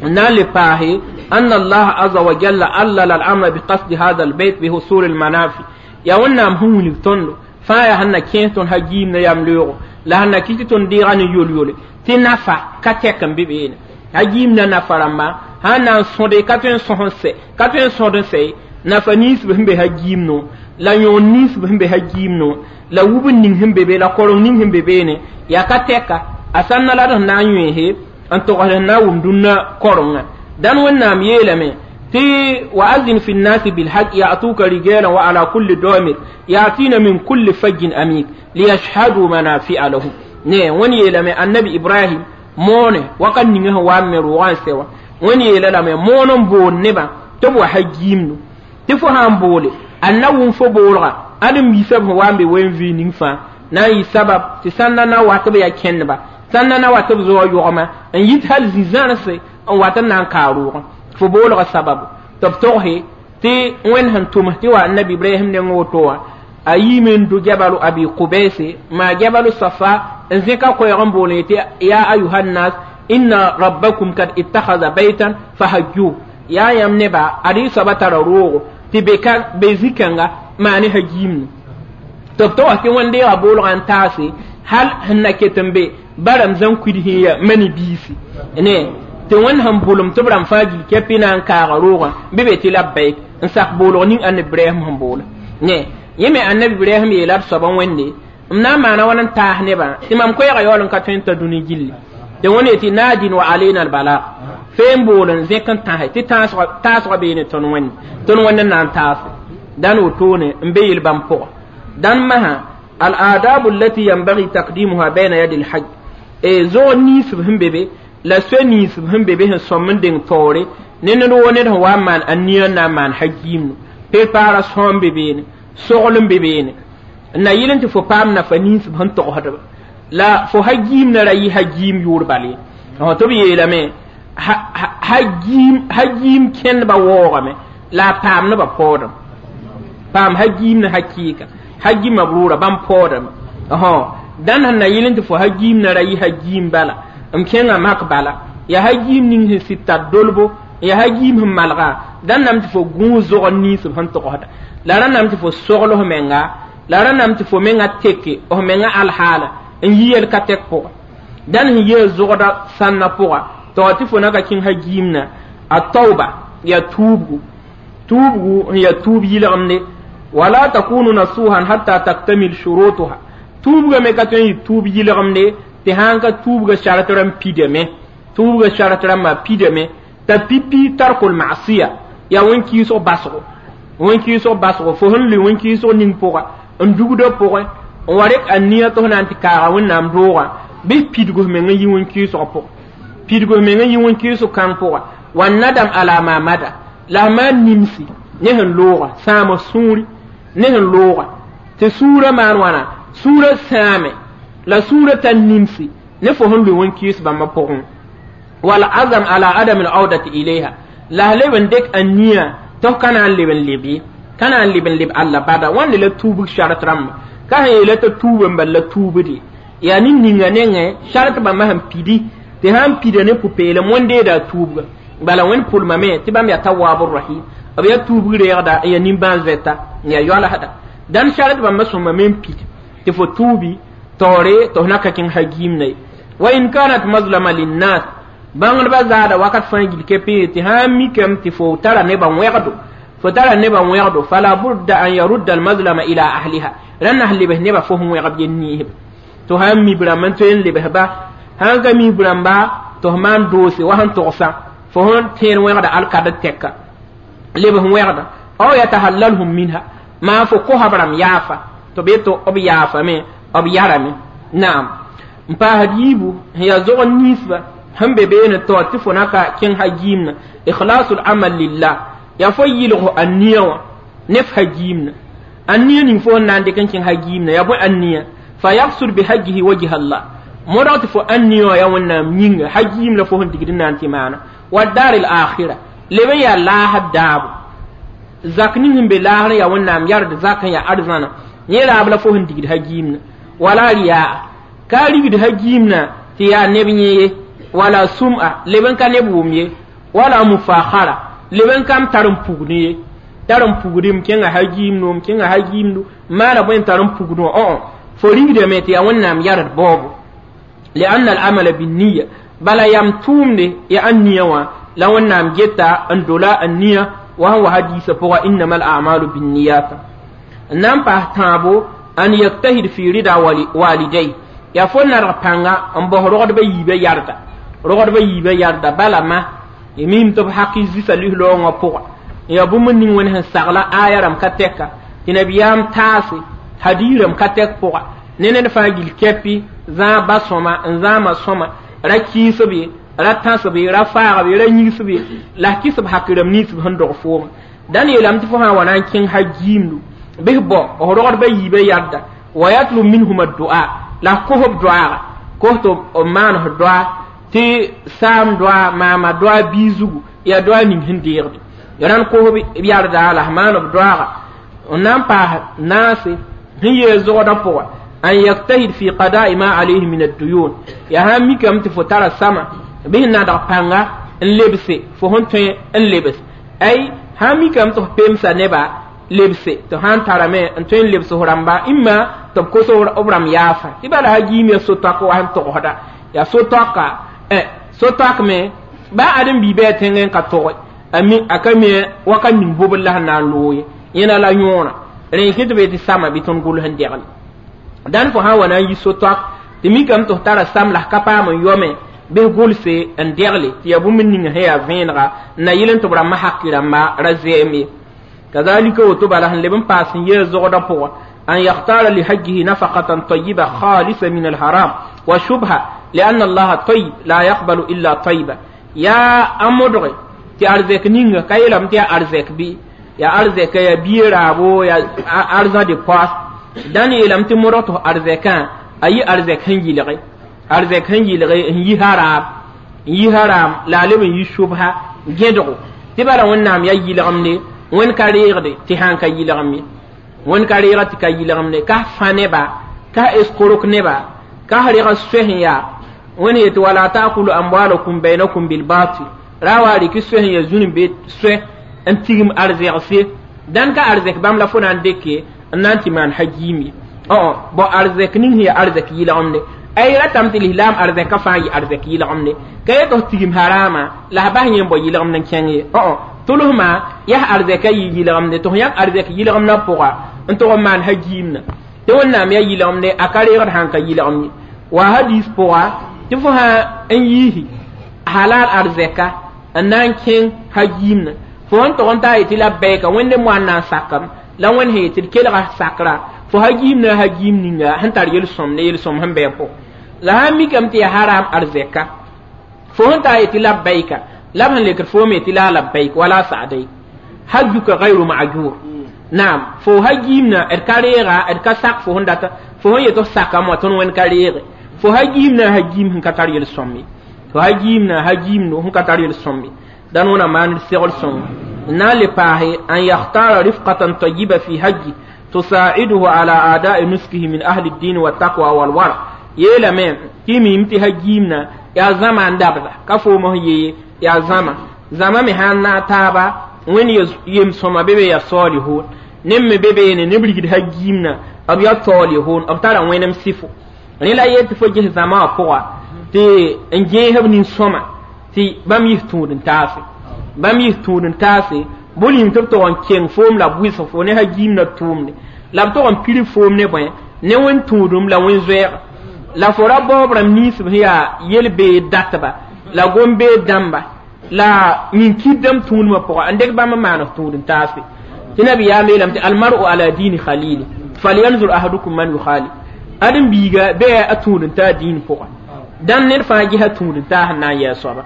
n na n le paase أن الله عز وجل علل الأمر بقصد هذا البيت بحصول المنافع yaa wẽnnaam sẽn wilg tõndo fãa yaa sẽn na kẽes tõnd hagiim ne yam leoogo la sẽn na kɩ tɩ tõnd deega ne yol-yole tɩ nafa ka tɛk n be beene hagiim na nafa rãmba sã n na n sõde ka tõe n sõs n sɛ ka tõe n sõd n sɛ ye nafa ninsb sẽn be hagiim no la yõon ninsb sẽn be hagiim no la wub n ning sẽn be be la koreng ning sẽn be beene yaa ka tɛka a sãnna la d sẽn na n yõeese n togsd sẽn na n wʋm dũnna korengã dãn wẽnnaam yeelame tɩ wa azin fi nnasi bilhaj yatuka rijalan wa ala kulli damir yatina min kulli fajjin amik liyashhadu manafi'a lahum ne wẽnd yeelame annabi ibrahim moone wakat ninga sẽn wa n me roogã n sɛ wã wẽnd yeela lame moon n bool nebã tɩ b wa hagiimdo tɩ fo sã n boole a na wʋm fo boolga ãdem yiisã b sẽn wa n be wen-vɩ ning fãa na n yɩ sabab tɩ sãnda na wa tɩ b yaa kẽndba sãnda na wa tɩ b zoa yogma n yit hal zĩ-zãrse n wat n na n kaa roogã fo boolga sababu tɩ b togse tɩ wẽnd sẽn tʋms tɩ wa annabi ibrahim neng woto wã a yiime n do jabalu abi qubese maa jabalu safa n zẽka koɛɛg n bool yetɩ ya ayuha nnas inna rabbakum kad ittakhadha baytan fahajjuh yaa yãmb neba ad y soaba tara roogo tɩ be ka be zĩ-kãnga maa ne hagiimne tɩ b togs tɩ wẽnd deega boolgã n taase hal sẽn na ket n be baram zãn kuid sẽn ya mani biisi ne tɩ wẽnd sẽn bʋlem tɩ b rãmb fãa gil kɛpɩ na n kaaga roogã bɩ be tɩ labbaik n sak boolg ning annabi ibrahim sẽn boola ne yẽ me annabi ibrahim yeela d soabã wẽnde M na n maana wãn n taas nebã tɩ mam koɛɛgã yaool n ka tõe n ta dũni gilli tɩ wẽnd yetɩ naadin wa alena albalag fee n bool n zẽk n tãse tɩ taasgã bee ne tõnd wẽnd tõnd wẽnd n na n taase dãn wotone n be yel-bãmb pʋgã dãn masã al-adabu allati yanbaghi taqdimuha bayna yadi al-hajj e zog ninsb sẽn be be la soe ninsb sẽn be be sẽn sõm n deng taoore ne ned woo ned sẽn wa n maan a nia n na n maan hajiimnu prepaara sõom be beene sogl n be beene n na yɩl n tɩ fo paam nafa ninsb sẽn togsdba la fo hajiimna ra yɩ hajiim yʋʋr bal ye tɩ b yeelame hajiim kẽndbã waoogame la a paam nebã paoodame paam hajiim ne hakɩɩka hajima b rʋʋra bãmb paoodame dãn sẽn na yɩl n tɩ fo hajiimna ra yɩ hajiim bala m kẽngã mak bala ya hajiim ning sẽn sɩd tar dolbo ya hajiim sẽn malga dãn nam tɩ fo gũus zogr ninsb sẽn togsda la rãnname tɩ fo sogl f menga la rãnname tɩ fo menga teke f menga alhaala n yi yel ka tɛk pʋga dãn sẽn yee zogda sãnna pʋga tɩ tɩ fo na ka kẽng hajiimna a tauba ya tuubgu tuubgu n ya tuub yɩlgemde wala takunu nasuhan hatta taktamil shurutuha tuubga me ka tõe n yɩ tuub yɩlgemde tɩ sãn ka tuubga sart rãmb pidame tuubga sart rãmbã pidame t'a pipi tarkul masiya yaa wẽn-kɩɩsg basgo wẽn-kɩɩsg basgo fo sẽn lʋɩ wẽn-kɩɩsg ning pʋga n dugdã pʋgẽ n wa rek a nia tɩ f na n tɩ kaaga wẽnnaam doogã bɩ pidg f meng n yi wẽn-kɩɩsg pʋgẽ pidg f meng n yi wẽn-kɩɩsg kãng pʋga wa nadam ala ma mada la f maan nimsi ne sẽn looga sãam f sũuri ne sẽn looga tɩ sũurã maan wãna sũurã sãame la sũurã tar nimsi ne fo sẽn lʋɩ wẽn-kɩɩs bãmbã pʋgẽ wal azam ala adam al audati ilayha la leb n dɩk a nia tɩ f ka na n leb n leb ye ka na n leb n leb alla bada wãnde la tuubg sart rãmba ka sẽn yeela t'a tuub n bal la tuubde yaa nin ninga nengẽ sart bãmba sẽn pidi tɩ sãn pida ne pʋ-peelem wẽn-deeda a tuubga bala wẽnd pʋlmame tɩ bãmb yaa tawaabu rahim b yaa tuubg reegda n yaa nimbãan-zoɛta n yaa yoalsda dãn sart bãmba sõma me n pid tɩ fo tuubi taoore tɩ f na ka kẽng hagiimna ye wa in kanat mazlama linnas bãngdbã zaada wakat fãa gil kepe tɩ sãn mikame tɩ fo tara nebã wẽgdo fo tara nebã wẽgdo fala budda an yarudda almazlama ila ahliha rãnd na lebs nebã fo sẽn wẽgb yel niisb tɩ sãn mi b rãmb n tõe n lebsba sãn ka mi b rãmba tɩ f maan doose wa sẽn togsã fo sẽn tẽed wẽgda alkad tɛka lebs wẽgda aw yatahallalhum minha maa fo kosa b rãmb yaafa tɩ b yetɩ b yaafame b yarame naam n paasd yiibu sẽn yaa zog ninsba sẽn be beene taoor tɩ fo na ka kẽng hajiimna ikhlasul amal lillah yaa fo yɩlg a nia wã ne f hajiimna a nia ning fo n na n dɩk n kẽng hajiimna yaa bõe a nia fa yaksud bihajihi wajha allah modg tɩ fo a nia wã yaa wẽnnaam yĩnga hajiim la fo sẽn digd n na n tɩ maana wa dar al akhira leb n yaa laasd daabo zak ning sẽn be laasr yaa wẽnnaam yard zak n yaa arzãna yẽ raab la fo sẽn digd hajiimna wala riyaa ka rigd hajiimna tɩ yaa neb yẽ ye wala sum'a leb n ka neb wʋm ye wala mufakhara leb n kam tar n pugd ye tar n pugd m kẽnga hajiimnu m kẽnga hajiimdu maana bõe n tar n pugd wã õ fo rigdame tɩ yaa wẽnnaam yard baoobo lianna al'amala binniya bala yam tʋʋmde ya a nia wã la wẽnnaam geta n dola a nia wa sẽn wa hadiisã pʋga innama al'amalu binniyata n na n paas tãabo an yaktahid fi rida walidai yaa fo narg pãnga n baos rogdbã yiibã yarda rogdbã yiibã yarda bala ma mim tɩ b haki zisa lislaoongã pʋga yaa bũmb ning wẽnd sẽn sagla aya rãmb ka tɛka tɩ nabiyaam taase hadiirãmb ka tɛk pʋga ne ned fãa gil kɛpɩ zãag ba sõma n zãama sõma ra kɩɩsb ye ra tãsb ye ra faagb ye ra yigsb ye la f kɩs b hak rãmb ninsb sẽn dog fooma dãn yeelame tɩ fo sã n wa na n kẽng hajiimdu bɩs bao f rogdbã yiibã yarda wa yatlub minhum addua la f kos b doaaga kos tɩ b maan f doa tɩ saam doa maama doa bii zugu yaa doa ning sẽn deegde rãnd kos b yarda la f maan b doaaga n na n paas naase sẽn yeel zogdã pʋga an yaktahid fi qada'i ma alayhi min ad-duyun ya sãn mikame tɩ fo tara sama bɩ sẽn nadg pãnga n lebse fo sẽn tõe n lebs ay sãn mikame tɩ f pemsa neba lebse tɩ sãn tarame n tõe n lebs f rãmba imma tɩ b kos b rãmb yaafa tɩ bala hajiim ya so-toak wa sẽn togsda yaa so-toaka so-toak me ba ãdem-biibã yaa tẽngẽ n ka toge a ka me waka ning bobr la sẽn na n loog ye yẽna la yõora rẽ kɩ tɩ be tɩ sama bɩ tõnd gʋls n degl Dãn fo sã n wa na n yi so-toak tɩ mikame tɩ f tara sam la f ka paam n yome bɩ gʋlse n degle tɩ yaa bũmb ning sẽn yaa vẽenega n na yɩl n tɩ b rãmbã haki rãmba ra zɛɛm ye. Kazalika woto bala sẽn leb n paas n yee zogdã pʋgã an yakhtara lihajjihi nafaqatan tayiba khalisa min alharam wa shubha lianna allaha tayib la yaqbalu illa tayiba. Yaa a modge tɩ arzɛk ninga ka yeelame tɩ yaa arzɛk bɩ yaa arzɛka yaa bie raabo yaa arzã de poas dãn yeelame tɩ modg tɩ f arzɛkã a yɩ arzɛk sẽn yɩlge arzɛk sẽn yɩlge n yi haram n yi haram la a leb n yi shubha gẽdgo tɩ bala wẽnnaam yaa yɩlgemde wẽnd ka reegde tɩ sãn ka yɩlgem ye wẽnd ka reega tɩ ka yɩlgemde ka fã neba ka eskorok neba ka rega soɛ sẽn yaa wẽnd yetɩ wala taakulu amwalakum bainakum bilbatil ra wa rɩk soɛ sẽn yaa zũn be soɛ n tigim arzɛgse dãn ka arzɛk bãmb la fo na n dɩke n na n tɩ maan hagiim ye õ bõ arzɛk ning sẽn yaa arzɛk yɩlgemde ay ratame tɩ lislaam arzɛkã fãa yɩ arzɛk yɩlgemde ka yet f tigim harama la f bas yẽ n bao yɩlgemd n kẽng ye õ tʋlsmã yaa arzɛkã yɩ yɩlgemde tɩ f yãk arzɛk yɩlgemdã pʋga n tʋg n maan hagiimna tɩ wẽnnaam yaa yɩlgemde a ka reegd sãn ka yɩlgem ye wa hadis pʋga tɩ fo sã n yiisi halal arzɛka n na n kẽng hagiimna fo sẽn tʋg n taa yetɩ labbaika wẽnde moan na n sakam la wẽnd sẽn yetɩ d kelga sakra fo hagiimna hagiim ninga sẽn tar yel-sõm ne yel-sõm sẽn bɩ a pʋgẽ la sãn mikame tɩ yaa haram arzɛka fo sẽn taa yetɩ labbaika la b sẽn lekd foom yetɩ la labbaik wala sa'daik hajjuka gayru ma'jur naam fo hagiimna d ka reega d ka sak fo sẽn data fo sẽn yet f sakame wã tõnd wẽnd ka reege fo hagiimna hagiim sẽn ka tar yel-sõm ye fo hagiimna hagiimdo sẽn ka tar yel-sõm ye dãn wẽna maan d segl sõng n na n le paase an yakhtara rifqatan tayiba fi hajji tusaiduhu ala adai nuskihi min ahli ddin waltaqwa walwara yeelame tɩ mim tɩ hagiimna yaa zãma n dabda ka foom f yee yaa zãma zãma me sãn na taaba wẽnd yem-sõma be be yaa saalihun neb me be beene neb rigd hagiimna b yaa saalihun b tara wẽnem sɩfo rẽ la yel tɩ fo ges zãma wã pʋga tɩ n gẽesb nin-sõma tɩ bãmb yis tũud n taase bãmb yis tũud n taase bʋ tɩ b tog n keng foom la b wɩsg fo ne hagiimna tʋʋmde la b tog n pir foom ne bõe ne wẽn tũudum la wẽn zoɛɛga la fo ra baoob rãmb ninsb sẽn yaa yel-beed datba la gom-beed dãmba la nin-kɩdame tũudmã pʋga n dɩk bãmb n maan f tũud n taase tɩ nabiyaam yeelame tɩ almaru ala diini khalili falyanzur ahadukum man yukhali ãdem biiga bɩ a tũud n taa diin pʋga dãn ned fãa gesa tũud n taa sẽn na n yɛɛ soaba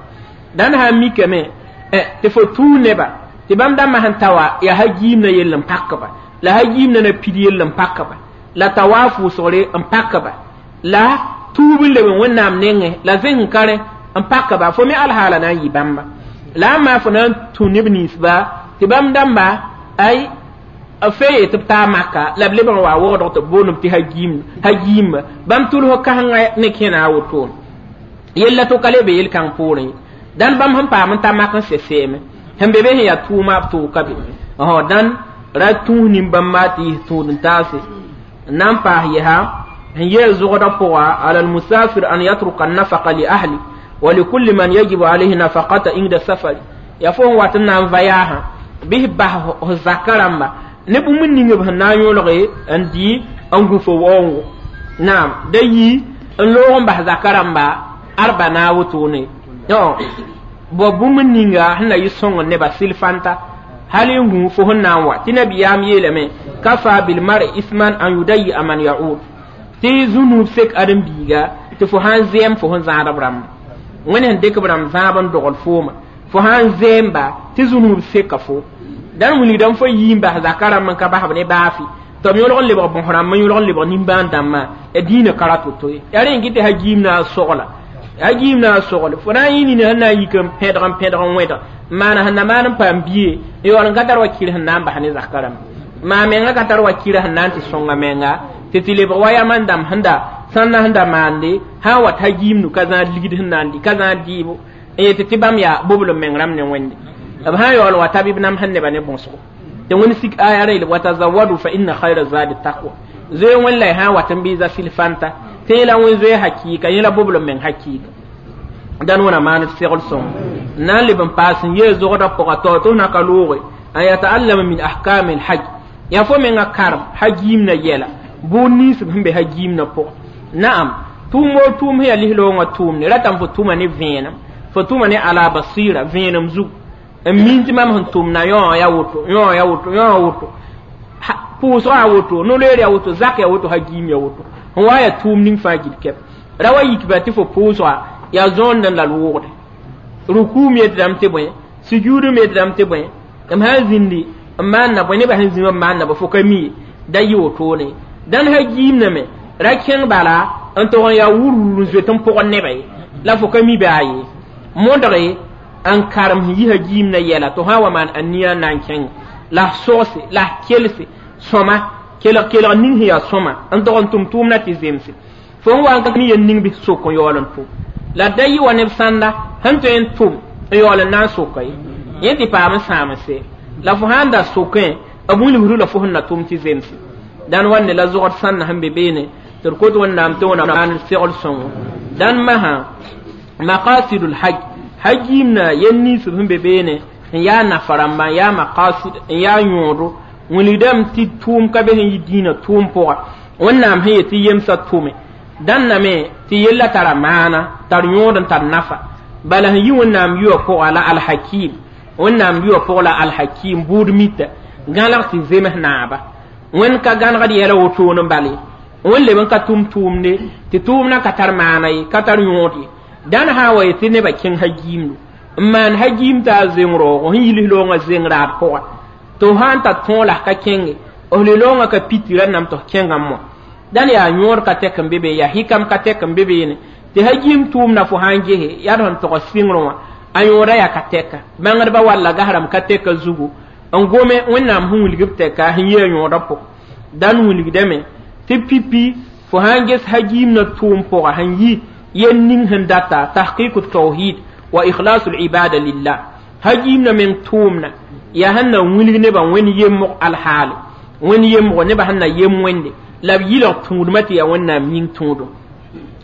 dãn sã n mikame tɩ fo tũu neba tɩ bãmb dãmbã sẽn ta wa yaa hagiimna yell n pakba la hagiimna na pid yell n pakba la tawaaf wʋsgre n pakba la tuub n leb n wẽnnaam nengẽ la zẽng kare n pakba fo me alhaala na n yɩ bãmba la a maa fo na n tũ neb ninsba tɩ bãmb dãmba ay fe ye tɩ b taa maka la b lebg n wa wogdg tɩ b boond tɩ hagiim hagiimba bãmb tʋls kãsengã ne kẽna a wotone yella to ka le be yel-kãng poorẽ dãn bãmb sẽn paam n ta mak n sɛ sɛɛme sẽn be be sẽn yaa tʋʋma b tʋʋka be dãn ra tũus nin-bãmba tɩ yis tũud n taase n na n paas yɛsa sẽn yeel zogdã pʋga ala almusafir an yatruka annafaqa li ahli wa likulli man yajibu alayhi nafaqata inda safari yaa fo sẽn wat n na n va yaasã bɩ f bas f zaka rãmba ne bũmb ning b sẽn na n yõlge n dɩ n gũ fo waoongo naam da yi n loog n bas zaka rãmba arba na wotone bõ bũmb ninga sẽn na yɩ sõng neba sɩl-fãnta hal n gũ fo sẽn na n wa tɩ nabiyaam yeelame kafa bilmar isman an yudayi man yaud tɩ zũnuub sek ãdem-biiga tɩ fo sã n zɛɛm fo sẽn zãad b rãmba wẽnd sẽn dɩk b rãmb zãab n dogl fooma fo sã n zɛɛmba tɩ zũnuub seka fo dãn wilgdame fo yii n bas zaka rãmb n ka basb ne baafi tɩ b yõlg n lebg bõs rãmb n yõlg n lebg nimbãan dãmbã ya dĩinã ka ra to-to ye yaa rẽ n gɩ tɩ hagiim na a sogla hagiim na a sogle fo na n yɩ nina sẽn na n yik n pẽdg n pẽdg n wẽdg maana sẽn na maan n paam bie n yaool n ka tar wa kir sẽn na n bas ne zaka rãmba maa menga ka tar wa kira sẽn na n tɩ sõnga menga tɩ tɩ lebg wa yam n dãmb sẽn da sãn na sẽn da maande sã n wat hagiimdu ka zãad ligd sẽn na n dɩ ka zãad dɩɩbo n yetɩ tɩ bãmb yaa boblem meng rãmb ne wẽnde b sã n yaool wa ta bɩ b nam sẽn neba ne bõsgo tɩ wẽnd sik aya ra yel watazawadu fa inna khayra zadi taqwa zoe wẽn la y sã n wat n bɩ za sɩl-fãnta tɩ yẽ la wẽn zoe hakɩɩka yẽ la boblem meng hakɩɩka dãn wẽna maan d segl sõng n na n leb n paas n yee zogdã pʋga tao tɩ f na ka looge an yataallama min ahkami lhaj yaa fo menga karem hagiimna yɛla Bʋʋd nins b sẽn be hagiimnã pʋgẽ naam tʋʋm woo tʋʋm sẽn yaa lis-loongã tʋʋmde ratame fo tʋma ne vẽenem fo tʋma ne ala basira vẽenem zug n min tɩ mam sẽn tʋmda yõ ya woto yõ ya woto yõ woto pʋʋsgã ya woto no-loeer ya woto zak ya woto hagiim ya woto n wa yaa tʋʋm ning fãa gil kɛp ra wa yikba tɩ fo pʋʋsga yaa zõond n la loogde ruku me yetdame tɩ bõe sujuud me yetdame tɩ bõe m sã n zĩndi n maanna bõe nebã sẽn zĩ wã n maanna bõ fo ka mi ye da yɩ wotone dãn hagiimnã me ra kẽng bala n tog n yaa wur-wur n zoet n pʋgd nebã ye la fo ka mi baa ye modge n karem sẽn yi hagiimnã yɛla tɩ sã n wa maan ania n na n kẽng la sogse la kelse sõma kelg kelg ning sẽn yaa sõma n tog n tʋm tʋʋmdã tɩ zemse fo n wa n ka mi yel ning bɩ sok n yaool n tʋm la da yɩ wa neb sãnda sẽn tõe n tʋm n yaool n na n soka ye yẽ tɩ paam n sãamse la fo sãn da sokẽ b wilgdu la fo sẽn na tʋm tɩ zemse dãn wande la zogd sãnda sẽn be beene tɩ d kot wẽnnaam tɩ wẽnnaam maan segl sõngo dãn masã maqasidul haj hagiimna yel nins b sẽn be beene n yaa nafa rãmba n yaa maqasid n yaa yõodo wilgdame tɩ tʋʋm ka be sẽn yi dĩinã tʋʋm pʋga wẽnnaam sẽn yet tɩ yemsã tʋme dãnna me tɩ yella tara maana tar yõod n tar nafa bala sẽn yi wẽnnaam yʋa pʋga la alhakim wẽnnaam yʋa pʋg la alhakim buud mita gãlg tɩ zems naaba wẽnd ka gãnegd yɛla wotone n bal ye wẽnd leb n ka tʋm tʋʋmde tɩ tʋʋmdã ka tar maana ye ka tar yõod ye dãn sã n wa ye tɩ nebã kẽng hagiimdo n maan hagiim t'a zeng rooogo sẽn yilis loongã zeng raad pʋga tɩ f sã n tar tõog la f ka kẽnge f li-loongã ka piti rãnname tɩ f kẽngã mõ dãn yaa yõod ka tɛk n be be yaa hikam ka tɛk n be beene tɩ hagiim tʋʋmdã fo sã n gese yaa d sẽn tog sɩngrẽ wã a yõoda yaa ka tɛka bãngdbã walla gasrãmb ka tɛka zugu n gome wẽnnaam sẽn wilg b tɛka sẽn yɩ a yõodã pʋgẽ dãn wilgdame tɩ pipi fo sã n ges hagiimnã tʋʋm pʋga sẽn yi yel ning sẽn data tahqiq tawhid wa ikhlasu libada lillah hagiimnã meng tʋʋmna yaa sẽn na wilg nebã wẽnd yemg alhaale wẽnd yemgo nebã sẽn na yem wẽnde la b yɩlg tũudmã tɩ yaa wẽnnaam yĩng tũudum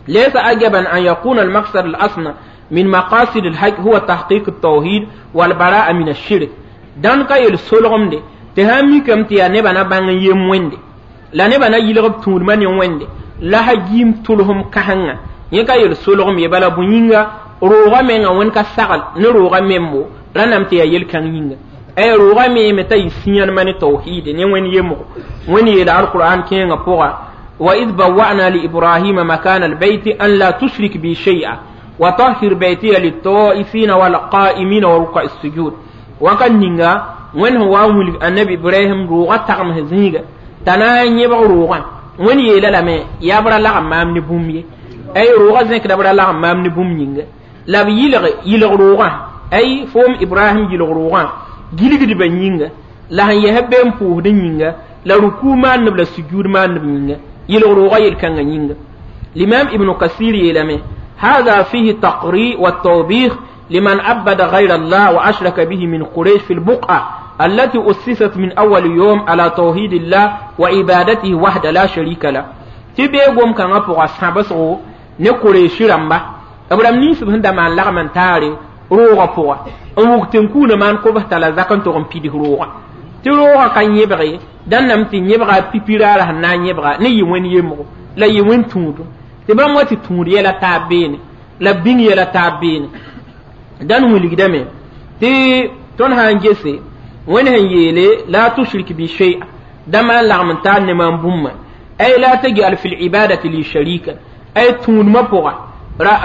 ليس عجبا أن يكون المقصد الأصل من مقاصد الحج هو تحقيق التوحيد والبراءة من الشرك دان كا يل سولغم دي تهامي كم تيا نبا نا بان يم ويندي لا نبا نا يلغ تور من ويندي لا هجيم تلهم كهنغا يكا يل سولغم يبالا بوينغا روغا مينغا وين كا ساغل ني روغا ميمو رانام تيا يل كان يينغا اي روغا مي متا يسيان من توحيد ني وين يمو وين يل القران كينغا بوغا وإذ بوأنا لإبراهيم مكان البيت أن لا تشرك بي شيئا وطهر بيتي للطائفين والقائمين وركع السجود وكان نينغا وين هو ولد النبي إبراهيم روغا تغم هزيغا تنا يبغ روغا وين يلا لامي يابرا لا مام نبومي أي روغا زنك دبرا لا مام نبوم نينغا لا يلغ يلغ روغا أي فوم إبراهيم يلغ روغا gilgd ba yĩnga la sẽn yɛs be n pʋʋsd yĩnga la ruku maaneb la sujud maaneb yĩnga yelg roogã yel-kãngã yĩnga l'imam ibn kasir yeelame هذا فيه تقريء والتوبيخ لمن عبد غير الله وأشرك به من قريش في البقعة التي أسست من أول يوم على توحيد الله وعبادته وحده لا شريك له تبي قوم كان أبغى سابسو نقريش رمبا أبرام نيس بهند ما لغم تاري roogã pʋga n wʋg tẽn-kuunã maan kobs t'a la zak n tog n pidg roogã tɩ roogã ka yẽbge dãn tɩ yẽbga pipi raara sẽn na n yẽbga ne yɩ wẽnd yemgo la yɩ wẽnd tũudum tɩ bãmb wa tɩ tũud yɛla taab beene la bĩng yɛla taab beene dãn wilgdame tɩ tõnd sã n gese wẽnd sẽn yeele la tushrik bi shay'a da maan lagm n taar ne maam bũmba ay la tajal fi libadati li sharika ay tũudmã pʋga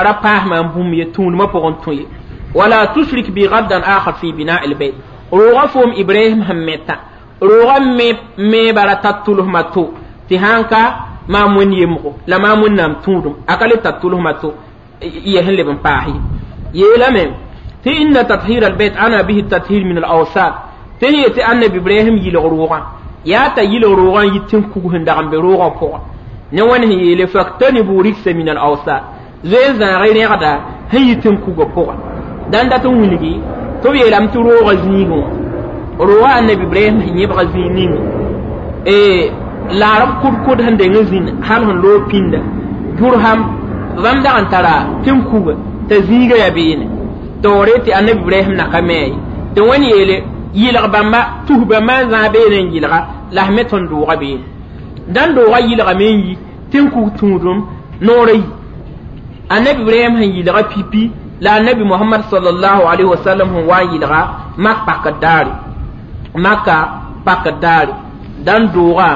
ra paas maam bũmb ye tũudmã pʋgẽ tũ ye ولا تشرك بي غدا آخر في بناء البيت روغا فوم إبراهيم همتا روغا مي مي برا تطلهم تو تهانكا ما من يمغو لا ما من نام تودم أقل تطلهم تو يهل بن باهي يلمن تي إن تطهير البيت أنا به التطهير من الأوساط تي تي أن إبراهيم يلغ روغا يا تا يلغ روغا يتم كوهن دغم بروغا فوق نوان هي لفاكتنبوا ركس من الأوساط زي زان غير غدا هي يتم كوغا فوق dãn dat n wilgi tɩ b yeelame tɩ roogã zĩigẽ wã roogã annabi ibrahim sẽn yẽbga zĩig ninga laarb kʋd-kʋd sẽn deng n zĩnd hal sẽn loog pĩnda jurham bãmb dag n tara tẽn-kuga t'a zĩigã yaa beene taoore tɩ annabi ibrahim na ka me ye tɩ wẽnd yeele yɩlg bãmba tus bãmba n zãag beene n yɩlga la f me tõnd doogã beene dãn doogã yɩlgame n yi tɩ n kug tũudum noorã yi annabi ibrahim sẽn yɩlga pipi la annabi muhammad sallallahu alaihi wasallam sẽn wa n yɩlga mak pakd daare maka pakd daare dãn doogã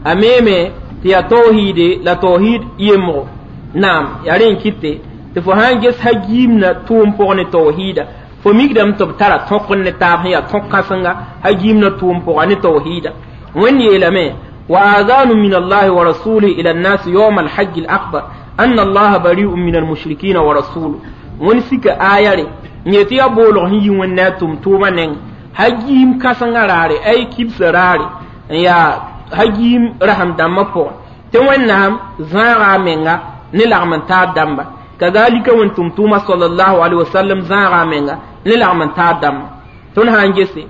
a meeme tɩ yaa tawhiide la tawhid yemgo naam yaa rẽ n kɩte tɩ fo sã n ges hagiimna tʋʋm pʋg ne tawhiida fo mikdame tɩ b tara tõk ne taab sẽn yaa tõk kãsenga hagiimna tʋʋm pʋga ne tawhiida wẽnd yeelame wa azanu min allahi wa rasulihi ila nnasi yawma alhajji alakbar anna allaha bari'un min almushrikina wa rasuluhu wẽnd sika aya re n yetɩ yaa boolg sẽn yi wẽnd ne a tʋm-tʋʋmã neng hagiim kãsengã raare ay kibsã raare n yaa hagiim rasem dãmbã pʋgẽ tɩ wẽnnaam zãaga a menga ne lagm n taar dãmba kazalika wẽnd tʋm-tʋʋmã sallallahu alaihi wasallam zãaga a menga ne lagm n taar dãmba tõnd sã n gese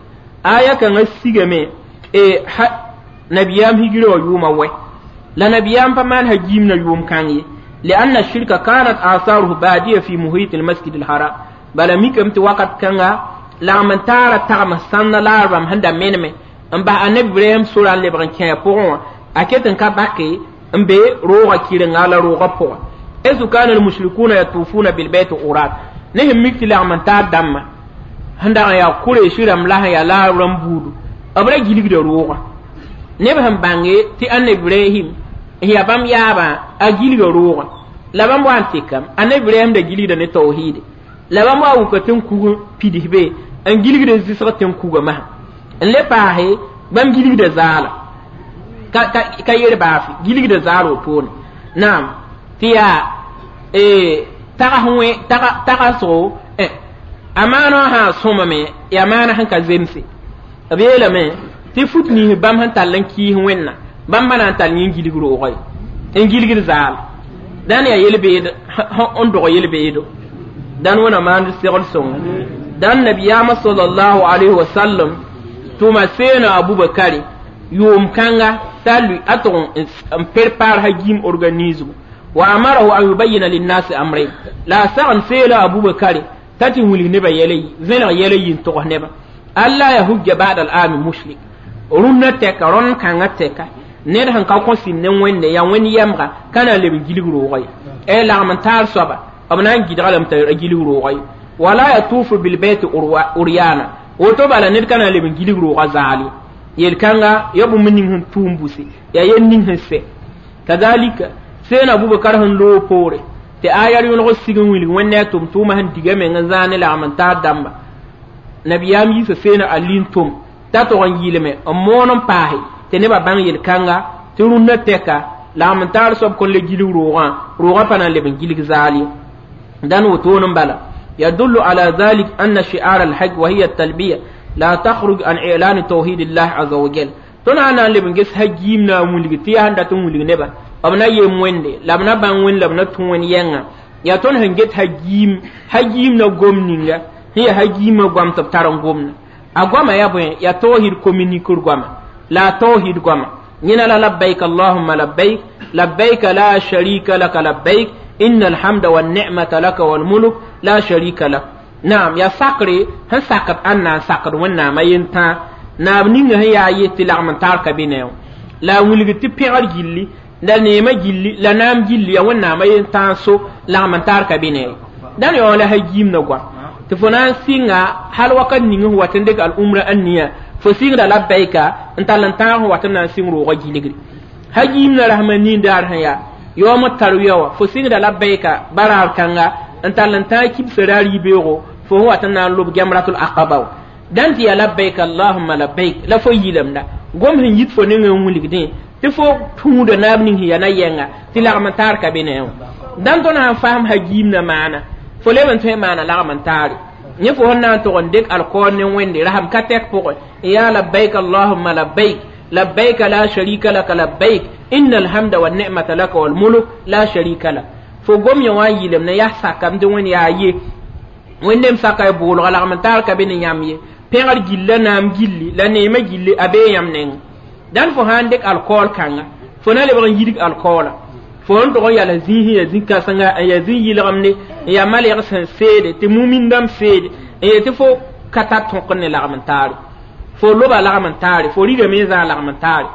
aya kãngã sigame e nabiyaam hijira wã yʋʋmã wɛ la nabiyaam pa maan hagiimna yʋʋm kãng ye لأن الشرك كانت آثاره بادية في محيط المسجد الحرام بل ميكم تي وقت كanga lagm n taara tagm sãnda laarbãmb sẽn da meneme n bas annabi ibrahim sora n lebg n kẽ a pʋgẽ wã a ket n ka bake n be roogã kɩrenga la roogã pʋgẽ esu kana almushrikuna yatufuna bilbayt urat ne sẽn mik tɩ lagm n taar dãmbã sẽn dag n yaa kureesi rãmb la sẽn yaa laar rãmb buudu b ra gilgda roogã neb sẽn bãnge tɩ annabi ibrahim n yaa bãmb yaabã a gilga roogã la bãmb wa n tekam annabi ibrahim da gilgda ne tawhiide la bãmb wa wuka tɩ n kug pids be n gilgd zɩsg tɩ n kuga masã n le paase bãmb gilgda zaala ka ka ka yer baafe gilgda zaal wotone naam tɩ yaa tags wẽ tagsgo a maana sã sõmame yaa maana sẽn ka zemse b yeelame tɩ fut nins bãmb sẽn tall n kiis wẽnna bãmb pa na n tall yẽ n gilg roogã ye n gilgd zaal dãn yaa yel-beed n dog yel-beedo dãn wẽna maand segl sõnga dãn nabiyaamã sallallahu alayhi wa sallam tʋma seena abubakari yʋʋm kãnga t'a lui a tʋg n prepare hagiim organisme wa amarahu an yubayyina linnasi amrayn la a sagn seela abubakari t'a tɩ wilg nebã yɛla yi vẽneg yɛla yi n togs nebã alla ya hujja ba'da al-ami mushrik rũnnã tɛka rõnd kãngã tɛka ned sẽn ka kõ sĩnd ne wẽnde yaa wẽnd yɛmga ka na n leb n gilg roogã ye e lagm n taar soaba b na n gɩdga lame t'a gilg roogã ye wala yatufu bilbayt uryana woto bala ned ka na n leb n gilg roogã zaal ye yel-kãnga ya bũmb ning sẽn tʋʋm buse yaa yel ning sẽn sɛ kazalika seen abubakar sẽn loog poore tɩ aya yõlg sig n wilg wẽnd ne a tʋm-tʋʋmã sẽn diga meng n zãag ne lagm n taar dãmba nabiyaam yiisa seena ali n tʋm t'a tog n yɩlme n moon n paase tɩ nebã bãng yel-kãnga tɩ rũnnã tɛka lagm n taar soab kõn le gilg roogã roogã pa na n leb n gilg zaal ye dãn wotone n bala يدل على ذلك أن شعار الحج وهي التلبية لا تخرج عن إعلان توحيد الله عز وجل tõnd sã na n leb n ges hagiim na n wilg tɩ yaa sẽn dat n wilg nebã b na yem wẽnde la b na bãng wẽnd la b na tũ wẽnd yɛngã yaa tõnd sẽn get hagiim hagiim na gom ninga sẽn yaa hagiimã goam tɩ b tar n gomna a goama yaa bõe yaa tawhid communiquer goama la a tawhid goama yẽna la labbaik allahumma labbaik labbaik la sharika laka labbaik inna alhamda wanni'mata laka walmulk la sharika lak naam yaa sakre sẽn sakd ãnna n sakd wẽnnaamã yentãa naab ninga sẽn yaa ye tɩ lagm n taar ka be ne la a wilg tɩ pẽgr gilli la neemã gilli la naam gilli yaa wẽnnaamã yentãag so lagm n taar ka be ne dãn yaoã la hagiimna goam tɩ fo na n sɩnga hal wakat ning sẽn wat n dɩk al-umra n nia fo sɩngda labbaika n tall n tãag sẽn wat n na n sɩng roogã gilgre hagiimna rasmã nindaar sẽn yaa yaoom tarwiya wã fo sɩngda labbaika baraar kãnga n tall n tãag kibsã raar yibeoogo fo sẽn wat n na n lob gemratul aqaba wã dãn tɩ yaa labbaik allahumma labbaik la fo yilamda gom sẽn yit fo nengã n wilgdẽ tɩ fo tũuda naab ning sẽn yaa na yɛnga tɩ lagm n taar ka be ne wã dãn tõnd sãn fasem hagiimna maana fo leb n tõe maana lagm n taare yẽ fo sẽn na n tog n dɩk alkool ne wẽnde rasem ka tɛk pʋgẽ n yaa labbaik allahumma labbaik labbaik la sharika laka labbaik inna alhamda wanni'mata laka walmulk la sharika lak fo gom yã wã n yɩlem ne yaa sakam tɩ wẽnd yaa ye wẽnnaam saka y boolga lagm n taar ka be ne yãmb ye pẽgr gill la naam gilli la neemã gilli a bee yãmb neng dãn fo sã n dɩk alkool kãnga fo na lebg n yidg alkoola fo n tog n yala zĩig sẽn yaa zĩ-kãsenga n yaa zĩ-yɩlgemde n yaa malɛg sẽn seede tɩ mumin dãmb seede n yet tɩ fo ka tar tõk ne lagm n taare fo loba lagm n taare fo rigame n zãag lagm n taare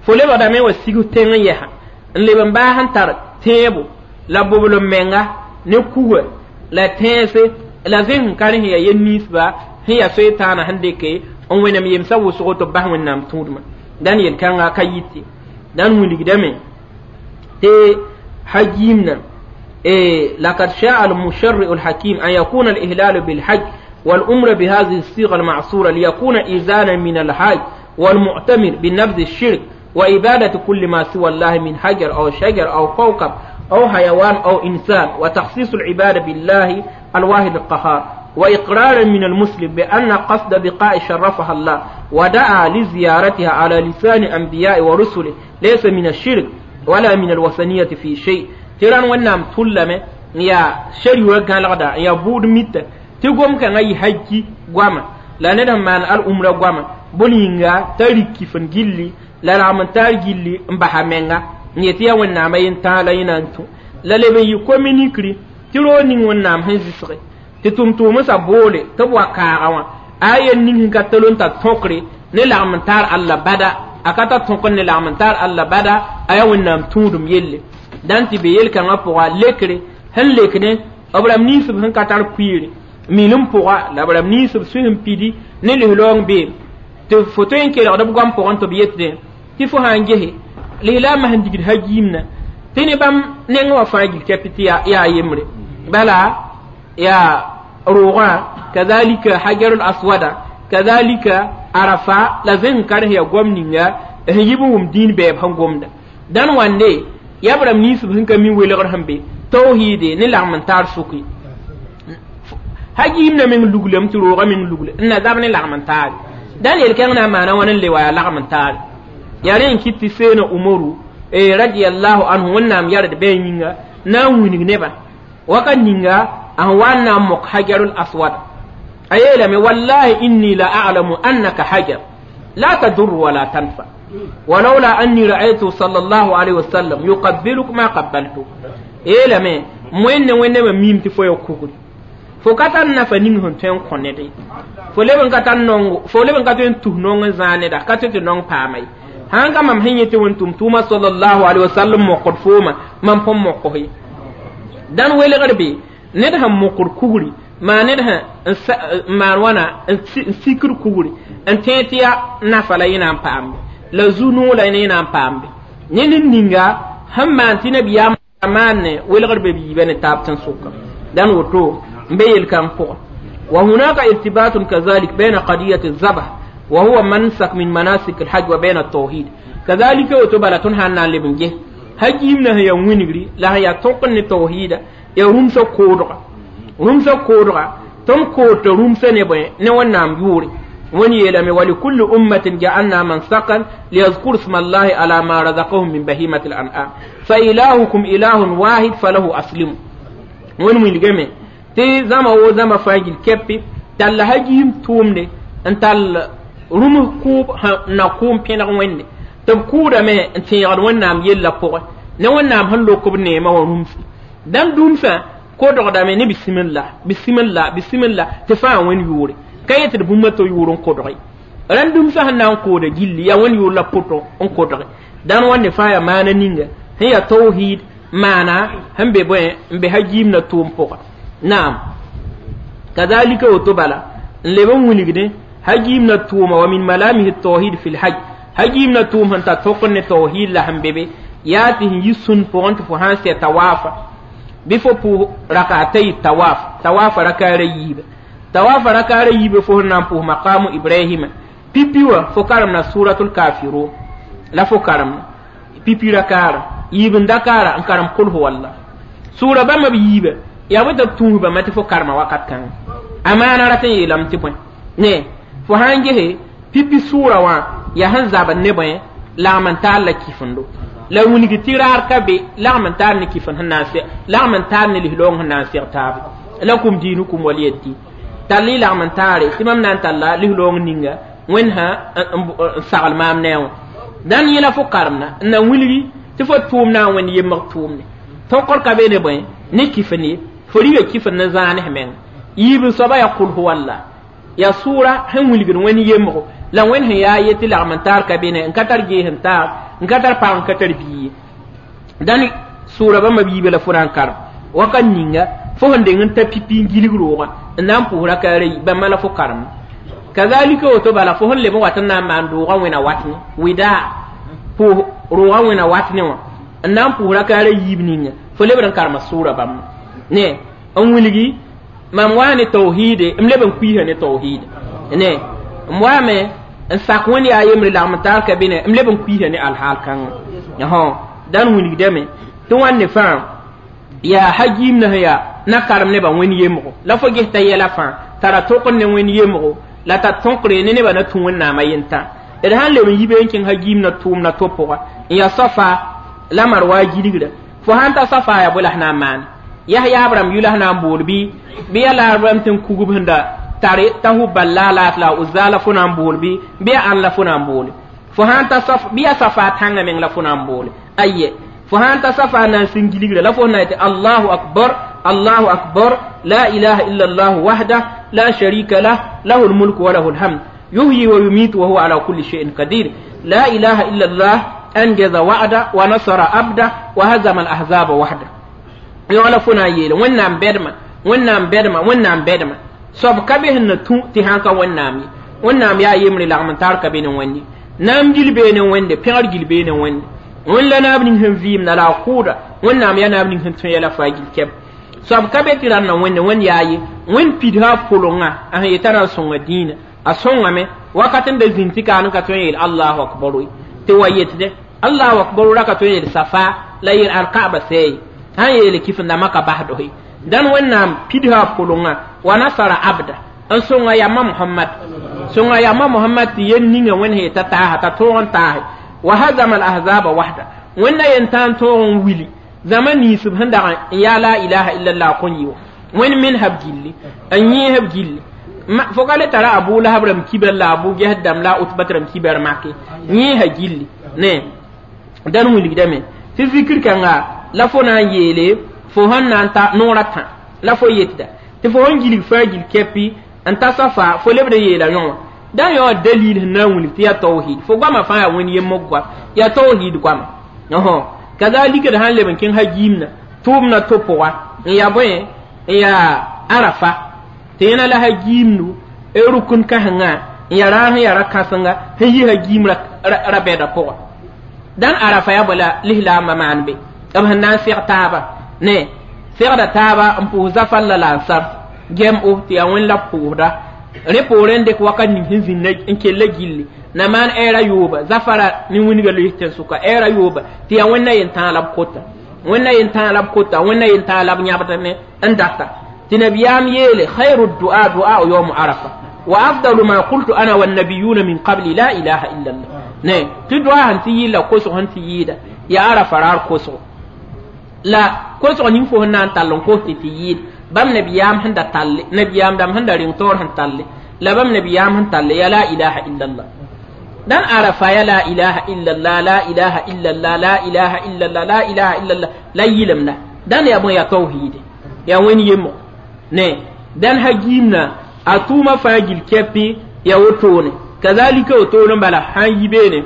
fo lebgdame wa sig tẽng n yɛsa n leb n baas n tar tẽebo la boblem menga ne kuga la tẽese la zẽ sẽn ka rẽ sẽn yaa yel ninsba sẽn yaa soe-tãana sẽn dɩke n wẽnem yemsã wʋsgo tɩ b bas wẽnnaam tũudmã dãn yel-kãnga ka yɩte dãn wilgdame tɩ hajiimna لقد شاء المشرع الحكيم أن يكون الإهلال بالحج والأمر بهذه الصيغة المعصورة ليكون إذانا من الحاج والمعتمر بنبذ الشرك وإبادة كل ما سوى الله من حجر أو شجر أو كوكب أو حيوان أو إنسان وتخصيص العبادة بالله الواحد القهار وإقرارا من المسلم بأن قصد بقاء شرفها الله ودعا لزيارتها على لسان أنبياء ورسله ليس من الشرك ولا من الوثنية في شيء تيران ونام تلمه يا شريوة قال يا بود ميت تقوم كان أي حجي قواما لا ندم مان الأمر قواما بولينغا تاريكي فنجيلي la ragm n tar gilli n basa menga n yet yaa wẽnnaamã yen tãag la yẽ na n tũ la leb n yɩ kominikri tɩ roog ning wẽnnaam sẽn zɩsge tɩ tʋm-tʋʋmsã boole tɩ b wa kaaga wã a yen ning sẽn ka tol n ta tõkre ne lagm n taar alla bada a ka ta tõk ne lagm n taar alla bada a yaa wẽnnaam tũudum yelle dãn tɩ be yel-kãngã pʋga lekre sẽn lek ne b rãmb ninsb sẽn ka tar kuiire milim pʋga la b rãmb ninsb sũ sẽn pidi ne lislaoong beem tɩ fo tõe n kelgd b goam pʋgẽ tɩ b yetdẽ tɩ fo sã n gese lislaamã sẽn digd hajiimna tɩ ne bãmb neng wã fãa gil kɛpɩ tɩ yaa yembre bala yaa roogã kazalika hajarul aswada kazalika arafa la zẽ sẽn ka rẽ yaa goam ninga sẽn yib n wʋm dĩin bɛɛb sẽn gomda dãn wãnde yaa b rãmb ninsb sẽn ka mi welgr sẽn be tawhiide ne lagm n taar sʋki hajiimna meng luglame tɩ roogã meng lugle n na zab ne lagm n taare dãn yel-kẽng na n maana wãn n le wa yaa lagm n taare yaa rẽ n kɩt tɩ seena umaru radiyallahu anhu wẽnnaam yard bɩ a yĩnga na n wilg nebã wakat ninga a sẽn wa n na n mok hajarul aswad a yeelame wallahi inni la a'lamu annaka hajar la tadur wala tanfa ولولا أني رأيته صلى الله عليه وسلم يقبلك ما قبلته yeelame wẽnne wẽnne ma miim tɩ fo ya kugri fo ka tar nafa ning sẽn tõe n kõ ned ye fo leb n ka tar nongo fo leb n ka tõe n tus nong n zãag neda ka tõe tɩ nong paama ye sãn ka mam sẽn yẽ tɩ wẽn tʋm tʋʋma sallallahu alaihi wasallam mokd fooma mam põn mokos ye dãn welgr be ned sẽn mokd kugri maa ned sẽn maan wãna n sikd kugri n tẽeg tɩ yaa nafa la yẽ na n paambe la zu-noog la yẽ na n paambe ne ned ninga sẽn maan tɩ nabiyaam maanne welgr be biiba ne taab tẽn-sʋka dãn woto n be yel-kãng pʋgẽ وهناك ارتباط كذلك بين قضية الذبح وهو منسك من مناسك الحج وبين التوحيد كذلك وتبلا تنها أن لبنجه هجيمنا هي وينغري لا هي توقن التوحيد يا رمسا كودغا رمسا كودغا تم كوت رمسا نبي نوانام يوري وني يلمي ولكل أمة جعلنا منسكا ليذكر اسم الله على ما رزقهم من بهيمة الأنعام فإلهكم إله واحد فله أسلم ون وينغمي tɩ zãma wo zãma fãa gil kɛpɩ tall hajiim tʋʋmde n tall rũms kʋʋb na kʋʋm pẽneg wẽnde tɩ b kʋʋdame n tẽegd wẽnnaam yellã pʋgẽ ne wẽnnaam sẽn lok b neemã wã rũmsi dãmb dũmsã kodgdame ne bisimilla bisimilla bisimilla tɩ fãa wẽnd yʋʋre ka yetɩ d bũmba to yʋʋr n kodge rãnd dũmsã sẽn na n kooda gilli yaa wẽnd yʋʋr la pʋtõ n kodge dãn wãnde fãa yaa maana ninga sẽn yaa tawhid maana sẽn be bõe n be hajiimna tʋʋm pʋga نعم كذلك وتبلا لبن ولغني هجيمنا توما ومن ملامه التوحيد في الحج هجيمنا توم انت توقن التوحيد لهم بيبي ياته يسن فونت فهان سي توافا بفو بو ركعتي التواف تواف ركع ريب تواف ركع ريب فو نام بو مقام ابراهيم بيبيوا فكرمنا سورة الكافرون لا فكرمنا بيبي ركع يبن دكارا انكرم قل هو الله سورة بما بيبه yaa bõ tɩ b tũus bãmba tɩ fo karema wakat kãngã a maana rat n yeelame tɩ bõe ne fo sã n gese pipi sʋʋra wã yaa sẽn zabd ne bõe lagm n taar la kifendo la wilg tɩ raar ka be lagm n taar ne kifend sẽn na n seg lagm n taar ne lislaoong sẽn na n seg taabe lakum diinukum waliya din tall y lagm n taare tɩ mam na n talla lislaoong ninga wẽnd sã n sagl maam ne a wã dãn yẽla fo karemna n na wilgi tɩ fo tʋʋm na n wẽnd yembg tʋʋmne tõkr ka be ne bõe ne kifend ye fo riga kifend ne zãanes menga yiib soaba yaa kul huwalla yaa sʋʋra sẽn wilgd wẽnd yembgo la wẽnd sẽn yaa ye tɩ lagm n taar ka be ne n ka tar gees n taar n ka tar pag n ka tar bia ye dãn sʋʋra bãmba biibã la fo na n karem wakat ninga fo sẽn deng n ta pipi n gilg roogã n na n pʋʋs rakaara yi bãmba la fo karem kazalika woto bala fo sẽn leb n wat n na n maan roogã wẽna wat ne wɩdaa pʋʋs roogã wẽna wat ne wã n na n pʋʋs rakaara yiib ninga fo lebd n karema sʋʋra bãmba ne n wilgi mam waa ne tawhiide m leb n kuiisa ne tawhiida ne m waame n sak wẽnd yaa yembre lagm taar ka be ne m leb n kuiisa ne alhaal kãngã dãn wilgdame tɩ wãnde fãa yaa hajiim na sẽn yaa na karem nebã wẽnd yemgo la fo ges t'a yɛla fãa tara tõkd ne wẽnd yemgo la t'a tõkre ne nebã na tũ wẽnnaamã yentã d sãn leb n yi be n kẽng hajiim na tʋʋmda to pʋga n yaa safa la marwa gilgra fo sãn ta safa yaa bõe la sẽn na n maane yas yaab rãmb yʋ la sẽn na n bool bɩ bɩ yaa laab rãmb tɩ n kugb sẽn da tare t'a hubal la laat la uzza la fo na n bool bɩ bɩ yaa ãn la fo na n boole fo sãn ta saf bɩ yaa safa tãngã meng la fo na n boole aye fo sãn ta safa na n sẽn gilgra la fo na yetɩ allahu akbar allahu akbar la ilaha illa allah wahda la sharika lah lahu lmulku wa lahu lhamd yuhyi wa yumitu wa huwa ala kulli shay'in qadir la ilaha illa allah anjaza wa'da wa nasara abda wa hazama al ahzaba wahda yõ la fo na n yeele wẽnnaam bɛdma wẽnnaam bɛdma wẽnnaam bɛdma soab ka be sẽn na tũ tɩ sãn ka wẽnnaam ye wẽnnaam yaa yembre lagm n tar ka be ne wẽnde naam gil bee ne wẽnde pẽgr gil bee ne wẽnde wẽnd la naab ning sẽn vɩɩmda la a kʋʋda wẽnnaam yaa naab ning sẽn tõe yɛla faa gil kɛb soab ka be tɩ rãnda wẽnde wẽnd yaa ye wẽnd pidsa a pʋlengã a sẽn yetã na n sõnga dĩinã a sõngame wakat n da zĩnd tɩ kaan n ka tõe n yeel allahu akbar ye tɩ wa yetde allahu akbar ra ka tõe n yeel safa la yeel alkaaba sɛɛ sãn yeele kifẽnda maka basd ye dãn wẽnnaam pidsa a pʋlengã wa nasara abda n sõnga yamba mohamad sõnga yamba mohamad tɩ yel ninga wẽnd sẽn yeta taasa t'a tõog n taase wa hazama al ahzaba wahda wẽnda yen tã n tõog n wili zãma ninsb sẽn dag n yaa la ilaha illallah kõn yɩ wã wẽnd men-b gilli n yẽesb gilli fo ka le tara abu lahab rãmb kibar la abu ges dãmb la a utbat rãmb kibar make yẽesa gilli ne dãn wilgdame tɩ zikr kãnga la fo na n yeele fo sẽn na n ta noorã tã la fo yetda tɩ fo sẽn gilg fãa gil kɛpɩ n ta safa fo lebd n yeela yõ wã dã yõ dalil sẽn na n wilg tɩ yaa tawhid fo goamã fãa yaa wẽnd yemb goam yaa tawhid goama kazalika d sãn leb n kẽng hajiimna tʋʋmna to pʋga n yaa bõe n yaa arafa tɩ yẽna la hajiimdu rʋk n kãsenga n yaa raar sẽn yaa ra-kãsenga sẽn yi hajiim ra-bɛda pʋga dãn arafa yaa bõe la lislaambã maan be b sẽn na n seg taaba ne segda taaba n pʋʋs zafar la la ansar gɛm o tɩ yaa wẽnd la b pʋʋsda rẽ poorẽ n dɩk wakat ning sẽn zĩnda n kella gilli na maan ɛɛra yooba zafara ne wĩnga lois tẽn-sʋka ɛɛra yooba tɩ yaa wẽnna yentãag la b kota wẽnna yentãag la b kota wẽnna yentãag la b yãbdame n data tɩ nabiyaam yeele khayru dua du'a yawm arafa wa afdalu ma qultu ana wannabiyuna min qabli la ilaha illa allah ne tɩ doa sẽn tɩ yɩɩla kosg sẽn tɩ yɩɩda yaa arafa raar kosgo la kosg ning fo sẽn na n tall n kos tɩ tɩ yɩɩd bãmb nabiyaam sẽn da talle nabiyaam dãmb sẽn da reng taoor sẽn talle la bãmb nabiyaam sẽn talle ya la ilaha illa allah dan arafa ya la ilaha illa allah la ilaha illa allah la ilaha illa allah la ilaha illa allah la yɩlemda dãn yaa bõe yaa tawhiide yaa wẽnd yemgo ne dãn hagiimna a tʋʋmã fãa gil kɛpɩ yaa wotone kazalika wotone bala sãn yi beene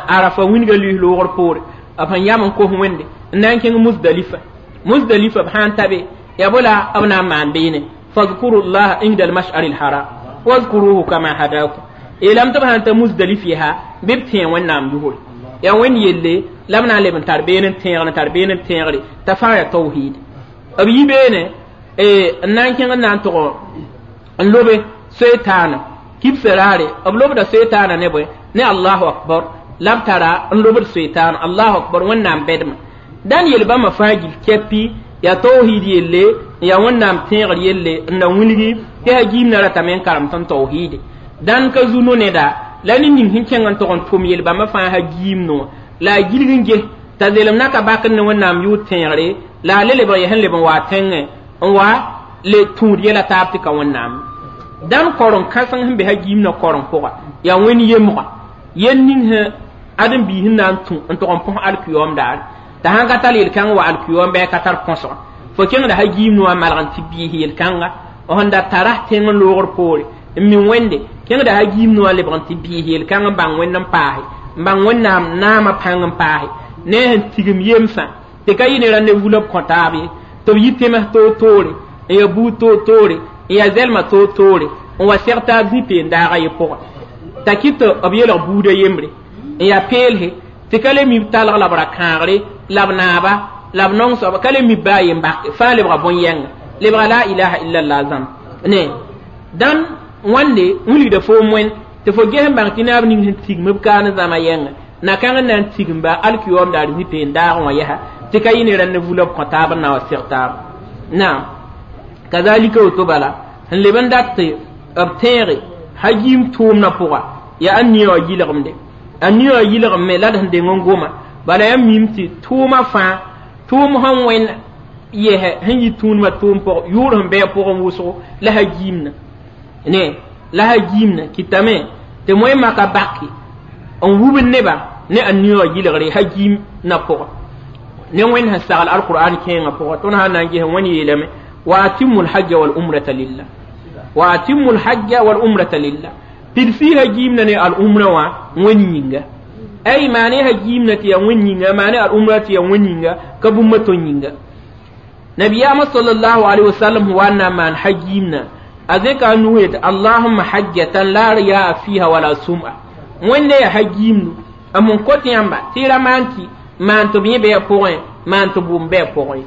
arafa wĩnga lis loogr poore b sẽn yam n kos wẽnde n na n kẽng musdalifa musdalifa b sãn ta be yaa bõ la b na n maan beene fadkuru llaha inda almashari alharam wazkuruhu kama hadakum yeelame tɩ b sãn ta musdalif yaa bɩ b tẽeg wẽnnaam yʋgre yaa wẽnd yelle la b na n leb n tar been n tẽegr n tar been n tẽegre t'a fãa yaa tawhid b yi beene n na n kẽng n na n tʋg n lobe soetaana kibsã raare b lobda soetaana ne bõe ne allahu akbar la b tara n lobd soetaana allahu akbar wẽnnaam bɛdmã dãn yel bãmba fãa gil kɛpɩ yaa tawhid yelle n yaa wẽnnaam tẽegr yelle n na wilgi tɩ hagiimna ratame n karem tõnd tawhiide dãn ka zu no-neda la ne ning sẽn kẽng n tog n tʋm yel bãmba fãa hagiimd wã la a gilg n ges t'a zelem na ka bak ne wẽnnaam yʋʋr tẽegre la a le leb n sẽn leb n wa tẽngẽ n wa le tũud yɛla taab tɩ ka wẽnnaam dãn koreng kãseng sẽn be hagiimdã koreng pʋga yaa wẽnd yemga yel ning sẽn ãdem-biis sẽn na n tũ n tog n põs alkiyoom daare t'a sãn ka tar yel-kãng wa alkiyoom bɩ a ka tar põsga fo kẽngda hagiimd wã malg n tɩ biis yel-kãnga sẽn da tara tẽng n loogr poore n mi wẽnde kẽngda hagiimd wã lebg n tɩ biis yel-kãng n bãng wẽnd n paase n bãng wẽnnaam naamã pãng n paase ne sẽn tigim yemsã tɩ ka yɩ ne rãnd vula b kõ taab ye tɩ b yɩ tems toor-toore n ya buud toor-toore n ya zɛlmã toor-toore n wa seg taab zĩ-peen-daagã ye pʋgã t'a kɩt tɩ b yelg buudã yembre n ya peelse tɩ ka le mi b talg la b ra kãagre la b naaba la b nong soaba ka le mi baa yen-bak fãa lebga bõn-yɛnga lebga la ilaha illallah zãmb ne dãn wãnde wilgda foom wẽnd tɩ fo ges n bãng tɩ naab ning sẽn tigm b kaan zãma yɛnga na-kãng n na n tigimba alkiyoom daar zĩ-peen-daagẽ wã yɛsa tɩ ka yɩ ne rãnd vula b kõ taab n na wa seg taab naam kazalika woto bala sẽn leb n dat tɩ b tẽege hagiim tʋʋmdã pʋga yaa a nia wã yɩlgemde a nia wã yɩlgem la d sẽn deng n goma bala yaa mim tɩ tʋʋmã fãa tʋʋm sẽn wẽnd yɛsɛ sẽn yɩ tũudmã tʋʋm pʋg yʋʋr sẽn bɩ a pʋgẽ wʋsgo la hagiimna ne la hagiimna kɩtame tɩ moẽ maka baki n wubd neba ne a nia wã yɩlgre hagiim na pʋga ne wẽnd sẽn sagl alqur'an kẽengã pʋga tõnd sã na n ges wẽnd yeelame wa atimu lhajja wal umrata lillah wa atimu lhajja wal umrata lillah pidsɩ hagiimna ne al umra wã wẽnd yĩnga ay maane hagiimna tɩ yaa wẽnd yĩnga maane al umra tɩ yaa wẽnd yĩnga ka bũmba tõnd yĩnga nabiyaamã sallallahu alaihi wasallam wa n na n maan hagiimna a zẽka a nus yetɩ allahumma hajjatan la riyaa fiha wala sum'a wẽnde yaa hagiimdu a mun kot yãmba tɩ ra maan tɩ maan tɩ b yẽ bɩ a pʋgẽ maan tɩ bʋʋm bɩ a pʋgẽ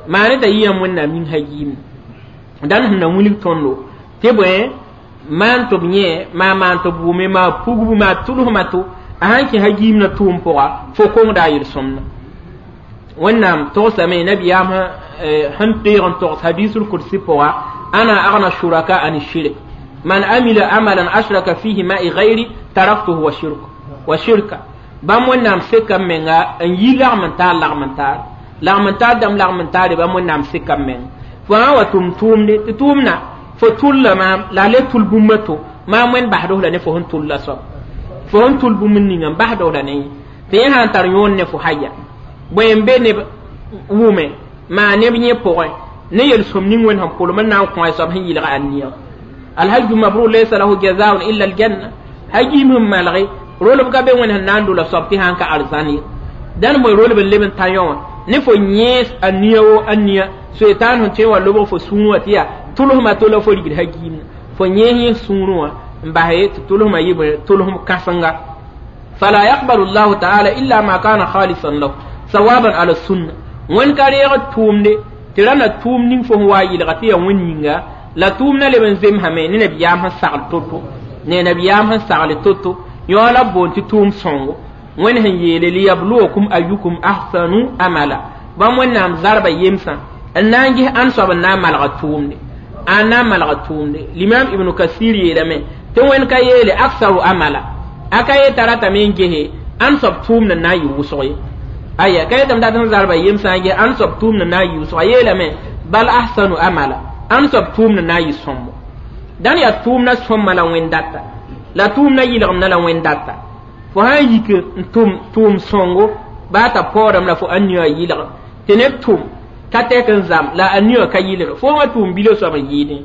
maane t'a yɩ yãmb wẽnnaam ning hagiimdu dãn sẽn na wilg tõndo tɩ bõe maan tɩ b yẽ maa maan tɩ bʋʋme maa pugbu maa tʋlsma to a sãn kẽ hagiimdã tʋʋm pʋga fo kongda a yel-sõmda wẽnnaam togsame nabiyaam sẽn teeg n togs hadisul kursi pʋga ana agna shuraka an shirk man amila amalan ashraka fihi ma'i ghairi taraktuhu wa shirk wa shirka bãmb wẽnnaam seka m menga n yi lagm n taar lagm n taar lagm n taar dãmb lagm n taare bãmb wẽnnaam seka m menga fo sã wa tʋm tʋʋmde tɩ tʋʋmna fo tʋlla maam la a le tʋl bũmba to maam wẽnd basd la ne fo sẽn tʋlla soab fo sẽn tʋl bũmb ninga n basd la ne tɩ yẽ sã n tar yõon ne fo haya bõe n be neb wʋme maa neb yẽ pʋgẽ ne yel-sõm ning wẽnd sẽn pʋlem n na n kõ a soab sẽn yɩlg a nia alhajju mabrur laysa lahu jazaun illa aljanna hagiim sẽn malge rolb ka be wẽnd sẽn na n dola soab tɩ sãn ka arzãn ye dãn moe rolb n leb n ta yõ wã ne fo yẽes a nia wo a nia soetaan sẽn tõe n wa lobg fo sũurẽ wã tɩ yaa tʋlsmã to la fo rigd hagiimna fo yẽes yẽ sũurẽ wã n bas tɩ tʋlsmã yɩ bõe tʋlsm kãsenga fala yaqbalu llahu taala illa ma kana khalisan lahu sawaban ala sunna wẽnd ka reeg tʋʋmde tɩ ra na tʋʋm ning fo sẽn wa yɩlga tɩ yaa wẽnd yĩnga la tʋʋmdã leb n zemsame ne nabiyaam sẽn sagl to-to ne nabiyaam sẽn sagl to-to yõ la b boond tɩ tʋʋm sõngo wẽnd sẽn yeele liyabluwakum ayukum ahsanu amala bãmb wẽnnaam zarba yemsã n na n ges ãn soab n na n malga tʋʋmde a na n malga tʋʋmde limam ibnu kasir yeelame tɩ wẽnd ka yeele aksaru amala a ka ye t'a ratame n gese ãn soab tʋʋmd n na n yɩ wʋsg ye aya ka yetame dat n zarba yemsã n ges ãn soab tʋʋmd n na n yɩ wʋsg a yeelame bal ahsanu amala ãn soab tʋʋmd n na n yɩ sõmbo dãn yaa tʋʋmdã sõmma la wẽnd data la tʋʋmdã yɩlgemdã la wẽnd data fo sã n yik n tʋm tʋʋm sõngo baa t'a paoodame la fo ã nia yɩlg tɩ neb tʋm ka tɛk n zam la a nia ka yɩlg fo wã tʋʋm bila soab n yɩɩdẽ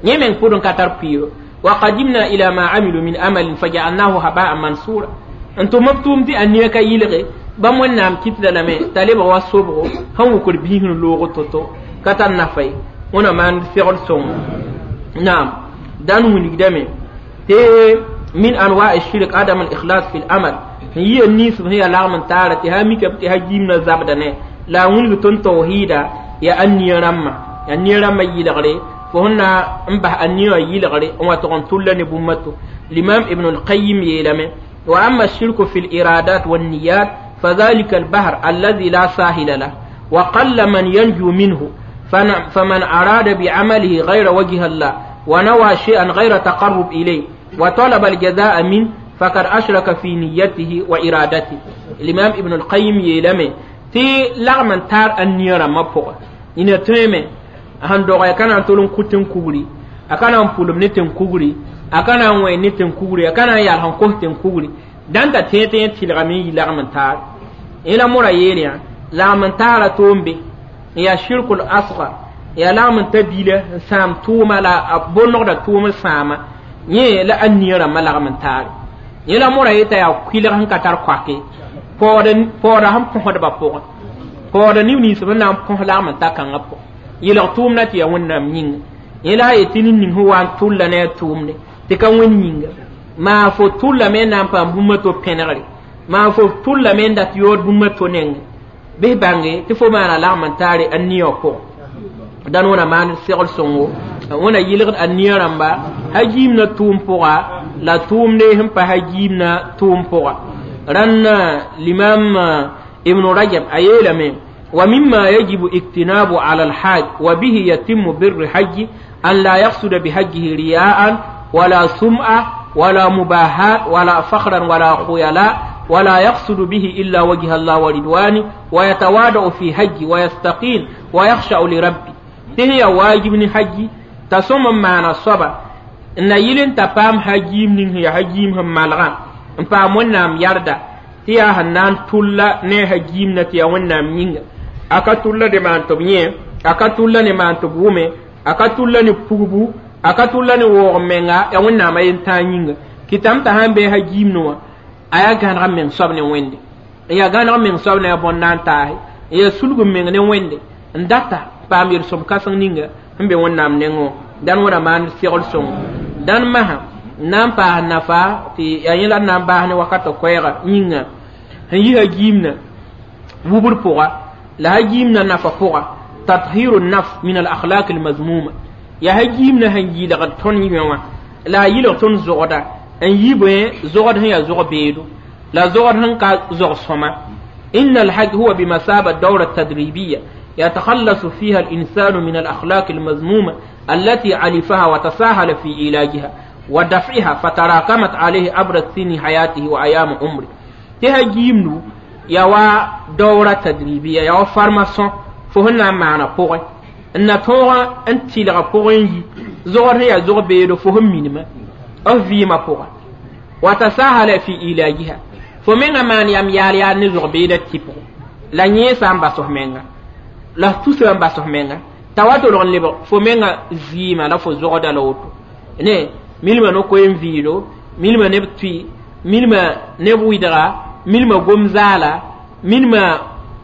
yẽ meng pʋd n ka tar pʋɩɩro wa qadimna ila ma amilu min amalin fajaalnahu habaan mansura n tʋm b tʋʋm tɩ a nia ka yɩlge bãmb wẽnnaam kɩtda lame t'a lebg wa sobgo sẽn wʋkd biis n loog to-to ka tar nafa ye wẽna maan segl sõngo naam dãn wilgdame tɩ min anwa shirk adam al ikhlas fi al amal n yɩ ninsb sẽn yaa lagm n taara tɩ sã mikame tɩ hagiimdã zabda ne la a wilg tõnd tawhiida yaa a nia rãmbã yaa nia rãmbã yɩlgre fo sẽn na n bas a nia wã yɩlgre n wa tog n tʋlla ne bũmba to l'imam ibn al-qayyim yeelame wa amma الشرك في الإرادات والنيات فذلك البحر الذي لا ساحل له وقل من ينجو منه فمن أراد بعمله غير وجه الله ونوى شيئا غير تقرب إليه وطلب الجزاء منه فقد أشرك في نيته وإرادته الإمام ابن القيم يلمي تي لغم تار النيرة مبوغ إن تيمي han doga kana tolon kutin kugri akana pulum ne ten kugri akana wẽ ne ten kugri akana yal han ko ten kugri dan ta tẽ tẽ tɩlgame n yi lagm n taar ila mora yeel yã lagm n taara toombe n yaa shirkul asgar yaa lagm n ta biila n sãam tʋʋma la a bonnegda tʋʋm sãama yẽ la a nia rãmbã lagm n taare Yẽ la mora yeta yaa kuilg sẽn ka tar koake paooda sẽn põsdbã pʋgẽ paooda neb nins sẽn na n põs lagm n ta kãngã pʋgẽ yelg tʋʋmdã tɩ yaa wẽnnaam yĩnga yẽ la a yetɩ ned ning sẽn wa n tʋlla ne a tʋʋmde tɩ ka wẽnd yĩnga maa fo tʋllame n na n paam bũmb a to pẽnegre maa fo tʋllame n dat yood bũmb a to nengẽ bɩs bãnge tɩ fo maana lagm n taare a nia wã pʋgẽ dãn wẽna maan segl sõngo wẽna yɩlgd a nia rãmba hagiimna tʋʋm pʋga la tʋʋmde sẽn pa hagiimna tʋʋm pʋga rãnd limam ibn rajab a yeelame ومما يجب اجتناب على الحاج وبه يتم بر حج أن لا يقصد بحجه رياء ولا سمعة ولا مباهاة ولا فخرا ولا خيلاء ولا يقصد به إلا وجه الله ورضوانه ويتواضع في حج ويستقيم ويخشع لربه تهي واجب حج تصوم معنا الصبا n yɩl n ta paam hagiim ning sẽn yaa hagiim sẽn malgã n paam wẽnnaam yarda tɩ yaa sẽn na n tʋlla ne a hagiimna tɩ yaa wẽnnaam yĩnga a ka tʋlla ne maan tɩ b yẽ a ka tʋlla ne maan tɩ b wʋme a ka tʋlla ne pugbu a ka tʋlla ne waoog menga yaa wẽnnaamã yen-tãag yĩnga kɩtame t'a sãn bee hagiimne wã a yaa gãneg meng soab ne wẽnde n yaa gãneg meng soab ne a bõn-na n taase n yaa sulg n meng ne wẽnde n data paam yel-sõm kãseng ninga sẽn be wẽnnaam nengẽ dãn wẽna maan segl sõngo dãn masã n na n paas nafa tɩ yaa yẽ la d na n baas ne wakatã koɛɛga yĩnga sẽn yi hagiimna wubr pʋga la hagiimna nafa pʋga tathiru nafs min al akhlaq al mazmuma yaa hagiimna sẽn yɩlgd tõnd yẽ wã la a yɩlg tõnd zogda n yi bõe zogd sẽn yaa zog beedo la zogd sẽn ka zog sõma إن الحج هو بمثابة دورة تدريبية يتخلص فيها الإنسان من الأخلاق المذمومة التي علفها وتساهل في علاجها ودفعها فتراكمت عليه عبر سن حياته وأيام عمره تهجيمنو يوا دورة تدريبية يوا formation فهنا معنا بوغي ان تورا انت لغا بوغي زغر هي زغ بيدو فهم مينما أو فيما بوغي وتساهل في علاجها فمن مان يام يال يال نزغ بيدا تيبو لا نيسا باسو menga la tusa n bas f menga t'a wa tolg n lebg fo menga zɩɩmã la fo zogda la woto ne milmã no-koeem vɩɩlo milmã neb tʋɩ milmã neb wɩdga milmã gom zaala milmã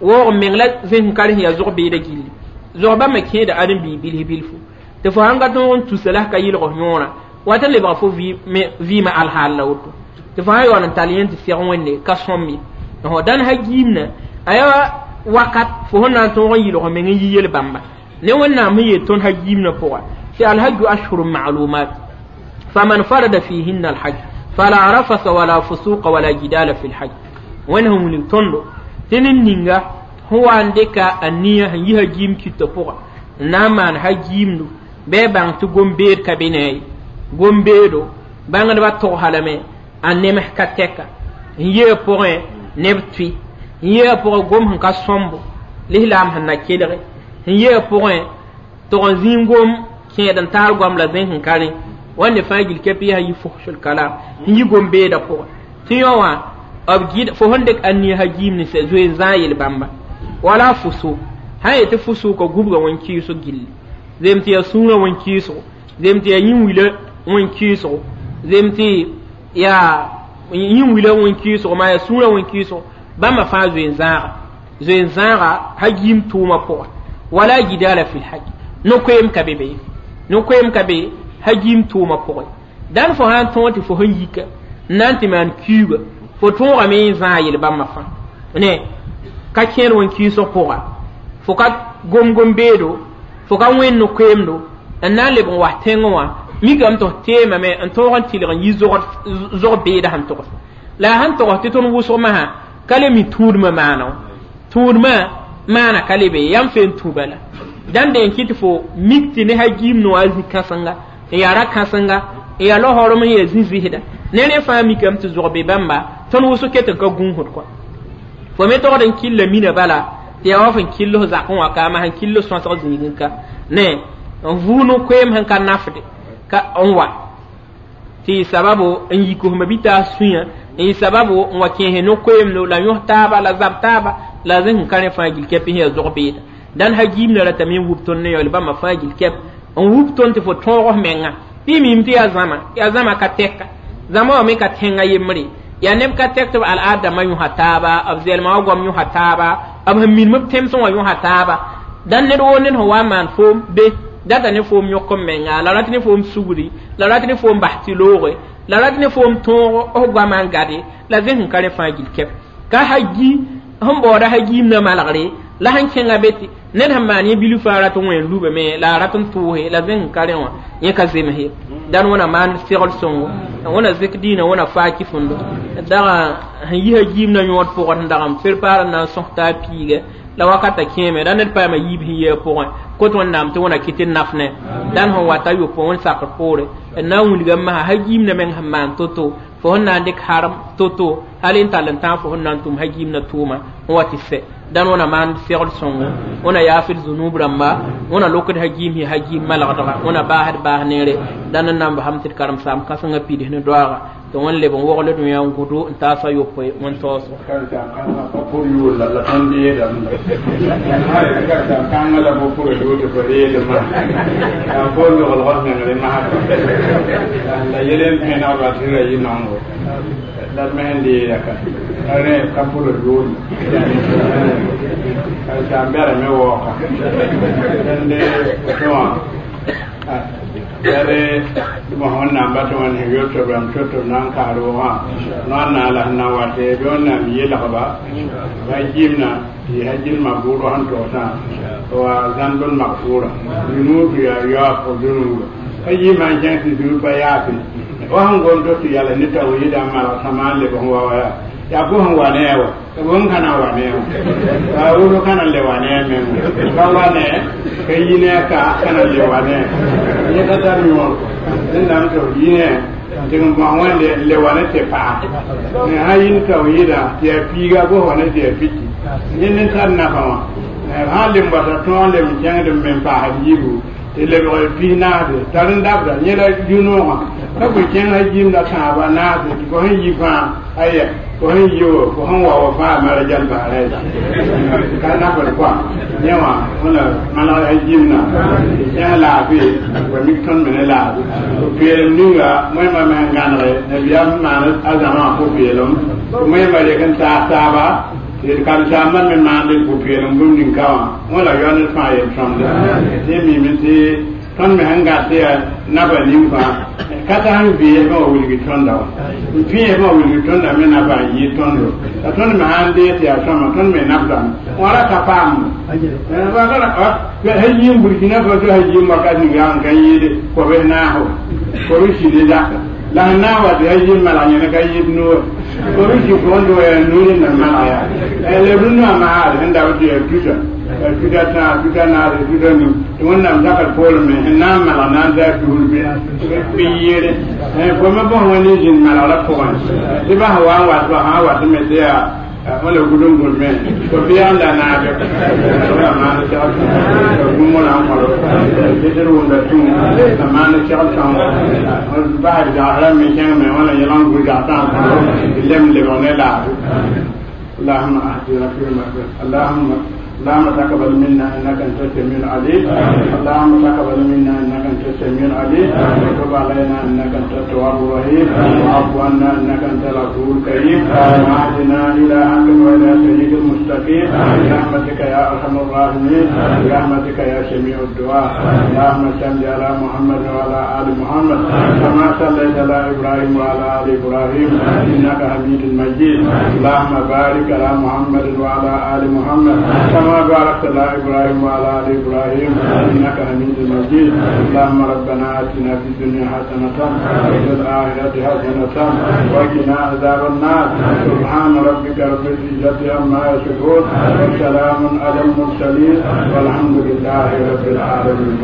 waoog n meng la zẽs n ka rẽ sẽn yaa zog beeda gilli zog bãmba kẽeda ãdem-biig bilf bilfu tɩ fo sãn ka tõog n tusa la ka yɩlg f yõorã wat n lebga fo vɩɩmã alhaal la woto tɩ fo sã yaool n tall yẽ tɩ seg wẽnde ka sõm ye dãn hagiimna a yaa wakat fo sẽn na n tõog n yɩlg meng n yi yel-bãmba ne wẽnnaam sẽn yeel tõnd hagiimnã pʋga tɩ alhaju ashhurun ma'lumat faman farada fihinna alhaj fala rafasa wala fusuqa wala jidala fi lhaj wẽnd sẽn wilg tõndo tɩ ned ninga sẽn wa n dɩka a nia sẽn yi hagiim kɩtã pʋga n na n maan hagiimdu bɩ a bãng tɩ gom-beed ka be ne a ye gom-beedo bãngdbã togsa lame a nems ka tɛka n yee pʋgẽ neb tʋɩ n yee pʋgẽ gom sẽn ka sõmbo lislaam sẽn na kelge n yee pʋgẽ tog n zĩig gom kẽed n taar goam la zẽs n ka rẽ wãnde fãa gil kɛp yaa yi fuhsul kalam n yi gom-beedã pʋgẽ tɩ yõ wã b gɩd fo sẽn dɩk a nia hagiim ne zoe n zãag yel-bãmba wala fusuk sã n yetɩ fusuka gubga wẽn-kɩɩsg gilli zem tɩ yaa sũurã wẽn-kɩɩsgo zem tɩ yaa yĩn-wila wẽn-kɩɩsgo zem tɩ yaa yĩn-wila wẽn-kɩɩsgo maa yaa sũurã wẽn-kɩɩsgo bãmba fãa zoe n zãaga zoe n zãaga hagiim tʋʋmã pʋgẽ wala jidala fi lhaj no-koeem ka be be no-koeem ka be hagiim tʋʋmã pʋgẽ dãn fo sã n tõog tɩ fo sẽn yika n na n tɩ maan kiuga fo tõogame n zãag yel-bãmbã fãa ne ka kẽer wẽn-kɩɩsg pʋga fo ka gom-gom-beedo fo ka wẽnd no-koeemdo n na n leb n was tẽngẽ wã mikame tɩ f teemame n tõog n tɩlg n yi zog beeda sẽn togs la a sẽn togs tɩ tõnd wʋsg masã ka le mi tũudmã maana wã tũudmã maana ka le be yam fe n tũ bala dãn deen kɩ tɩ fo mik tɩ ne hagiim no a zĩ kãsenga n yaa ra-kãsenga n yaa laoorem n yaa zĩ-zɩsda ne rẽ fãa mikame tɩ zog be bãmba tõnd wʋsg ket n ka gũusd kɔa fo me togd n killa mina bala tɩ yaa wa fõn kill f zakẽ wã ka ma sẽn kill sõsg zĩigẽ ka ne n vʋʋ no-koeem sẽn ka nafde ka n wa tɩ sababu n yik f mabitaas sũyã n yɩ sababu n wa kẽese no-koeemdo la yõs taaba la zab taaba la zẽs n ka rẽ fãa gil kɛp sẽn yaa zog beeda dãn hagiimna ratame n wub tõnd ne yaool bãmba fãa gil kɛp n wub tõnd tɩ fo tõog f menga tɩ y mim tɩ yaa zãma yaa zãma ka tɛka Zãmba wã me ka tẽngã yembre yaa neb ka tɛk tɩ b al-aadãmbã yõsa taaba b zɛlmã wã goam yõsa taaba b sẽn minim b tẽmsẽ wã yõsa taaba dãn ned woo ned sẽn wa n maan foom be data ne foom yõk n menga la rat ne foom sugri la rat ne foom bas tɩ looge la rat ne foom tõog f goamã n gade la zẽs n ka rẽ fãa gill kɛp ka ha gi sẽn baooda ha-giim na malgre la sẽn kẽnga be tɩ ned sẽn maan yẽ bilf fãa rat n wẽ n lubame la a rat n tʋʋse la zẽs n ka rẽ wã yẽ ka zems ye dãn wẽna maan segl sõngo wẽna zik diinã wẽna faaki fũndo daga sẽn yi ha-giim na yõod pʋgẽ sẽn dag n prepar n na n sõs t'a piiga la wakata kẽeme da ned paama yiib sẽn yɩ a pʋgẽ kot wẽnnaam tɩ wẽna kɩt n naf ne dãn sẽn wata yopoe wẽn sakr poore n na n wilga n masã ha-giim na meng sẽn maan to-to fo sẽn na n dɩk harem to-to hal n tall n tãag fo sẽn na n tʋm ha-giim na tʋʋma n wa tɩ sɛ dãn wẽna maan segl sõngo wẽna yaafd zunub rãmba wẽna lokd ha-giim sẽn ha-giim malgdga wẽna baasd baas neere dãn n na n basam tɩ d karen-saam kãsengã pids ne doaaga tɩ wẽn leb n wogl dũyã n gʋdo n taasa yopoe wẽn taoosgo pʋr yʋʋr la la tõnd yeelame kãngã la fo pʋra yʋʋr tɩ fo reelmã yaa fo loglg f mengre masã la yel n pẽneg ba tɩ ra yɩ nongo la d me sẽn deeda ka la rẽ ka pʋra yʋʋr kasaam bɛrame waooka tẽnde tɩ wã yare mosã wẽnnaam ba tɩ wẽnd sẽn yot b rãmb to tɩ b na n kaas roogã noor na la sẽn na n wat bɩ wẽnnaam yelgba ba gimna tɩ ha gilma bʋʋdg sẽn togsã wa zãmb n magfʋʋra zunuub yaa yaoog f zunuuba ka yɩɩmã n kẽng tɩ zunuub pa yaafe wa sẽn gom to tɩ yals ne tawhiida n malg sãma n leb n wa wa yaa yaa bʋ sẽn wa ne a wa ka bũmb kana wa ne a wa woto kana le wa ne a meng ka wa ne ka yi ne ka kana le wa ne yẽ ka tar yõor rẽndame tɩ f yi ne tɩ n bõs wẽnde n le wa ne tɩ paa ne sã yɩ ne tawhiida tɩ yaa piiga bos wa ne tɩ yaa piki yẽ ne tar nafa wã sã n lem wata tõog lem n kẽngd n me n paasd yiibu tɩ lebg pis naase tar n dabda yẽ la rũ-noogã ka bõe kẽng sã gimda tãabã naase tɩ fo sẽn yi fãa aya fo sẽn yi wa fo sẽn wa wa fãa mara jal baara ka nafd koa yẽ wã wẽna maneg sã gimna tɩ kẽng laafɩ wa mik tõnd me ne laafɩ pʋ-peelem ninga moẽmã me sẽn gãnege nabiyaam sẽn maan a zãmã pʋ-peelem tɩ moẽmã rek n taas taaba tɩ d karen-saambã me maand pʋ-peelem bũmb ning-ka wã wẽ la yao ned fãa yel-sõmda tɩ mime tɩ tõnd me sẽn gat yaa naba ning fãa ka ta sẽn vɩɩsmã wa wilgi tõnda wã n pẽesmã wa wilgi tõnda me naba n yɩ tõndo la tõnd me sãn dee tɩ yaa sõma tõnd me nabdame wã ra ka paamdo ha yĩm Burkina Faso ha yĩm wakat ninga n ka yɩɩde kobs naasgo kobs sɩd zaka la sẽn na n wa tɩ ha yĩm malg yẽne ka yɩɩd noore kobs sɩ fondo yaa nuuri na malg yaa leb rũnnã masaar sẽn dabd tɩ yaa tusa tuta tãag tuta naase tuta nu tɩ wẽnnaam zakd poorẽ me sẽn na n malg na n taa tusr bɩ yɩɩre fo me bõs wẽnd n zĩnd malgrã pʋgẽ tɩ bas wa n wat ba sã n wat me tɩ yaa wala gudun gulme ko biyan la naabe wala maana segl gũmo na n kõro tɩ d wʋmda tũ la maana segl sõngo basd zagsrã me kẽng me wala yẽlg n gũ zagsã n kõro tɩ lem lebg ne laafe اللهم اهدنا فيما اللهم اللهم تقبل منا انك انت السميع العليم اللهم تقبل منا انك انت السميع العليم وتب علينا انك انت التواب الرحيم واعف عنا انك انت العفو الكريم واهدنا الى حق والى طريق المستقيم برحمتك يا ارحم الراحمين برحمتك يا سميع الدعاء اللهم صل على محمد وعلى ال محمد كما صليت على ابراهيم وعلى ال ابراهيم انك حميد مجيد اللهم بارك على محمد وعلى ال محمد كما باركت على ابراهيم وعلى ال ابراهيم انك حميد مجيد اللهم ربنا اتنا في الدنيا حسنه وفي الاخره حسنه وقنا عذاب النار سبحان ربك رب العزه عما يصفون وسلام على المرسلين والحمد لله رب العالمين.